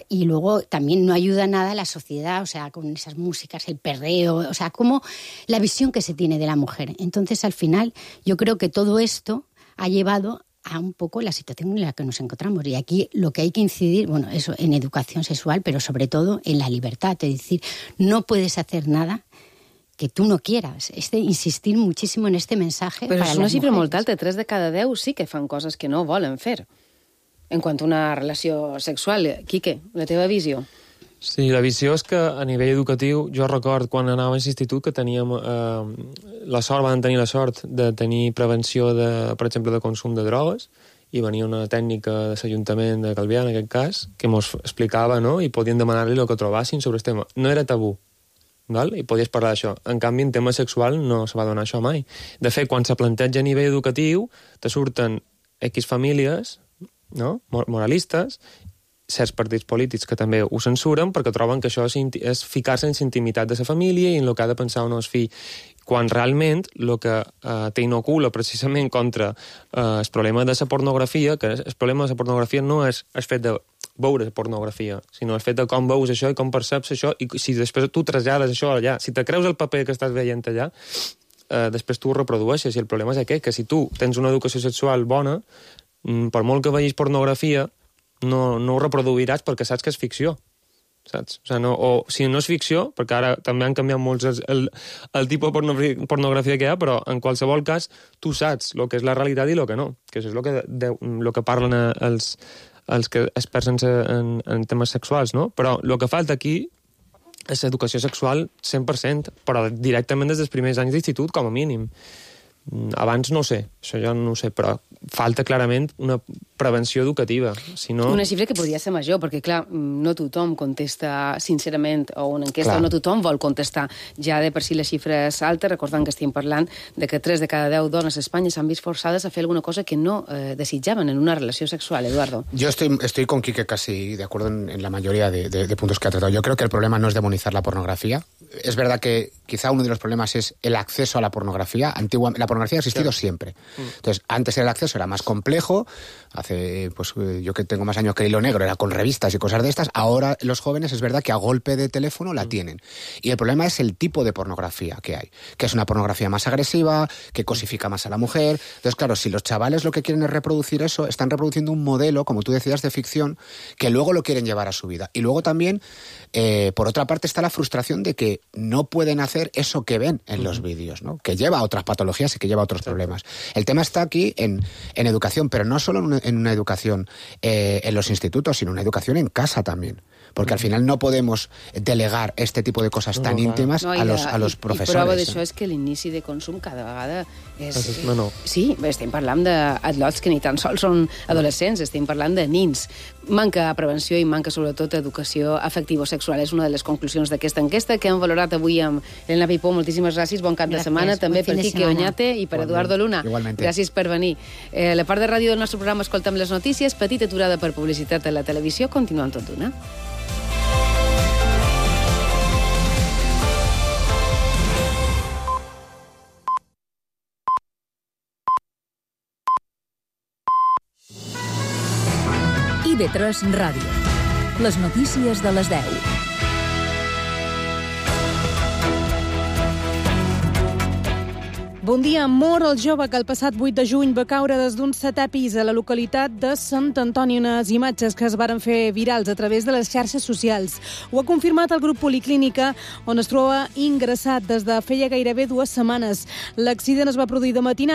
y luego también no ayuda nada a la sociedad, o sea, con esas músicas, el perreo, o sea, como la visión que se tiene de la mujer. Entonces, al final, yo creo que todo esto ha llevado a un poco la situación en la que nos encontramos. Y aquí lo que hay que incidir, bueno, eso, en educación sexual, pero sobre todo en la libertad. Es decir, no puedes hacer nada que tú no quieras. Insistir muchísimo en este mensaje. Però és una xifra mujeres. molt alta. 3 de cada 10 sí que fan coses que no volen fer. En quant a una relació sexual. Quique, la teva visió? Sí, la visió és que a nivell educatiu, jo record quan anava a l'institut que teníem van tenir la sort de tenir prevenció, per exemple, de consum de drogues, i venia una tècnica de l'Ajuntament de Calvià, en aquest cas, que ens explicava, no?, i podien demanar-li el que trobassin sobre el tema. No era tabú, val? I podies parlar d'això. En canvi, en tema sexual no se va donar això mai. De fet, quan se planteja a nivell educatiu, te surten X famílies, no?, moralistes, certs partits polítics que també ho censuren perquè troben que això és ficar-se en la intimitat de la família i en el que ha de pensar un fill, quan realment el que t'inocula precisament contra el problema de la pornografia, que el problema de la pornografia no és el fet de veure pornografia, sinó el fet de com veus això i com perceps això, i si després tu trasllades això allà, si te creus el paper que estàs veient allà, després tu ho reprodueixes, i el problema és aquest, que si tu tens una educació sexual bona, per molt que vegis pornografia, no ho reproduiràs perquè saps que és ficció, saps? O si no és ficció, perquè ara també han canviat molts el tipus de pornografia que hi ha, però en qualsevol cas tu saps el que és la realitat i el que no, que és el que parlen els experts en temes sexuals, no? Però el que falta aquí és educació sexual 100%, però directament des dels primers anys d'institut, com a mínim. Abans no ho sé, això ja no ho sé, però falta clarament una prevenció educativa. Si no... Una xifra que podria ser major, perquè, clar, no tothom contesta sincerament, o una enquesta, Clar. no tothom vol contestar. Ja de per si la xifra és alta, recordant que estem parlant de que 3 de cada 10 dones a Espanya s'han vist forçades a fer alguna cosa que no desitjaven en una relació sexual, Eduardo. Yo estoy con Quique casi de acuerdo en la mayoría de puntos que ha tratado. Yo creo que el problema no es demonizar la pornografía. Es verdad que quizá uno de los problemas es el acceso a la pornografía. La pornografía ha existido siempre. Entonces, antes el acceso era más complejo. Hace, pues yo que tengo más años que el hilo negro, era con revistas y cosas de estas. Ahora los jóvenes es verdad que a golpe de teléfono la tienen. Y el problema es el tipo de pornografía que hay. Que es una pornografía más agresiva, que cosifica más a la mujer. Entonces, claro, si los chavales lo que quieren es reproducir eso, están reproduciendo un modelo, como tú decías, de ficción, que luego lo quieren llevar a su vida. Y luego también, por otra parte, está la frustración de que no pueden hacer eso que ven en los vídeos, ¿no? Que lleva a otras patologías y que lleva a otros problemas. El tema está aquí en educación, pero no solo en una educación en los institutos, sino una educación en casa también. Porque al final no podemos delegar este tipo de cosas tan íntimas a los profesores. I prova d'això és que l'inici de consum cada vegada és... No. Sí, estem parlant d'adults que ni tan sols són adolescents, estem parlant de nins. Manca prevenció i manca sobretot educació afectivo-sexual. És una de les conclusions d'aquesta enquesta que hem valorat avui amb Elena Pipó. Moltíssimes gràcies, bon cap de setmana. També per Quique Oñate i per Eduardo Luna. Igualmente. Gràcies per venir. La part de ràdio del nostre programa escoltem les notícies, petita aturada per publicitat a la televisió, continuem tot d'una. IB3 Ràdio. Les notícies de les 10. Bon dia. Mor el jove que el passat 8 de juny va caure des d'un 7è pis a la localitat de Sant Antoni. Unes imatges que es varen fer virals a través de les xarxes socials. Ho ha confirmat el grup Policlínica, on es troba ingressat des de feia gairebé 2 setmanes. L'accident es va produir de matinada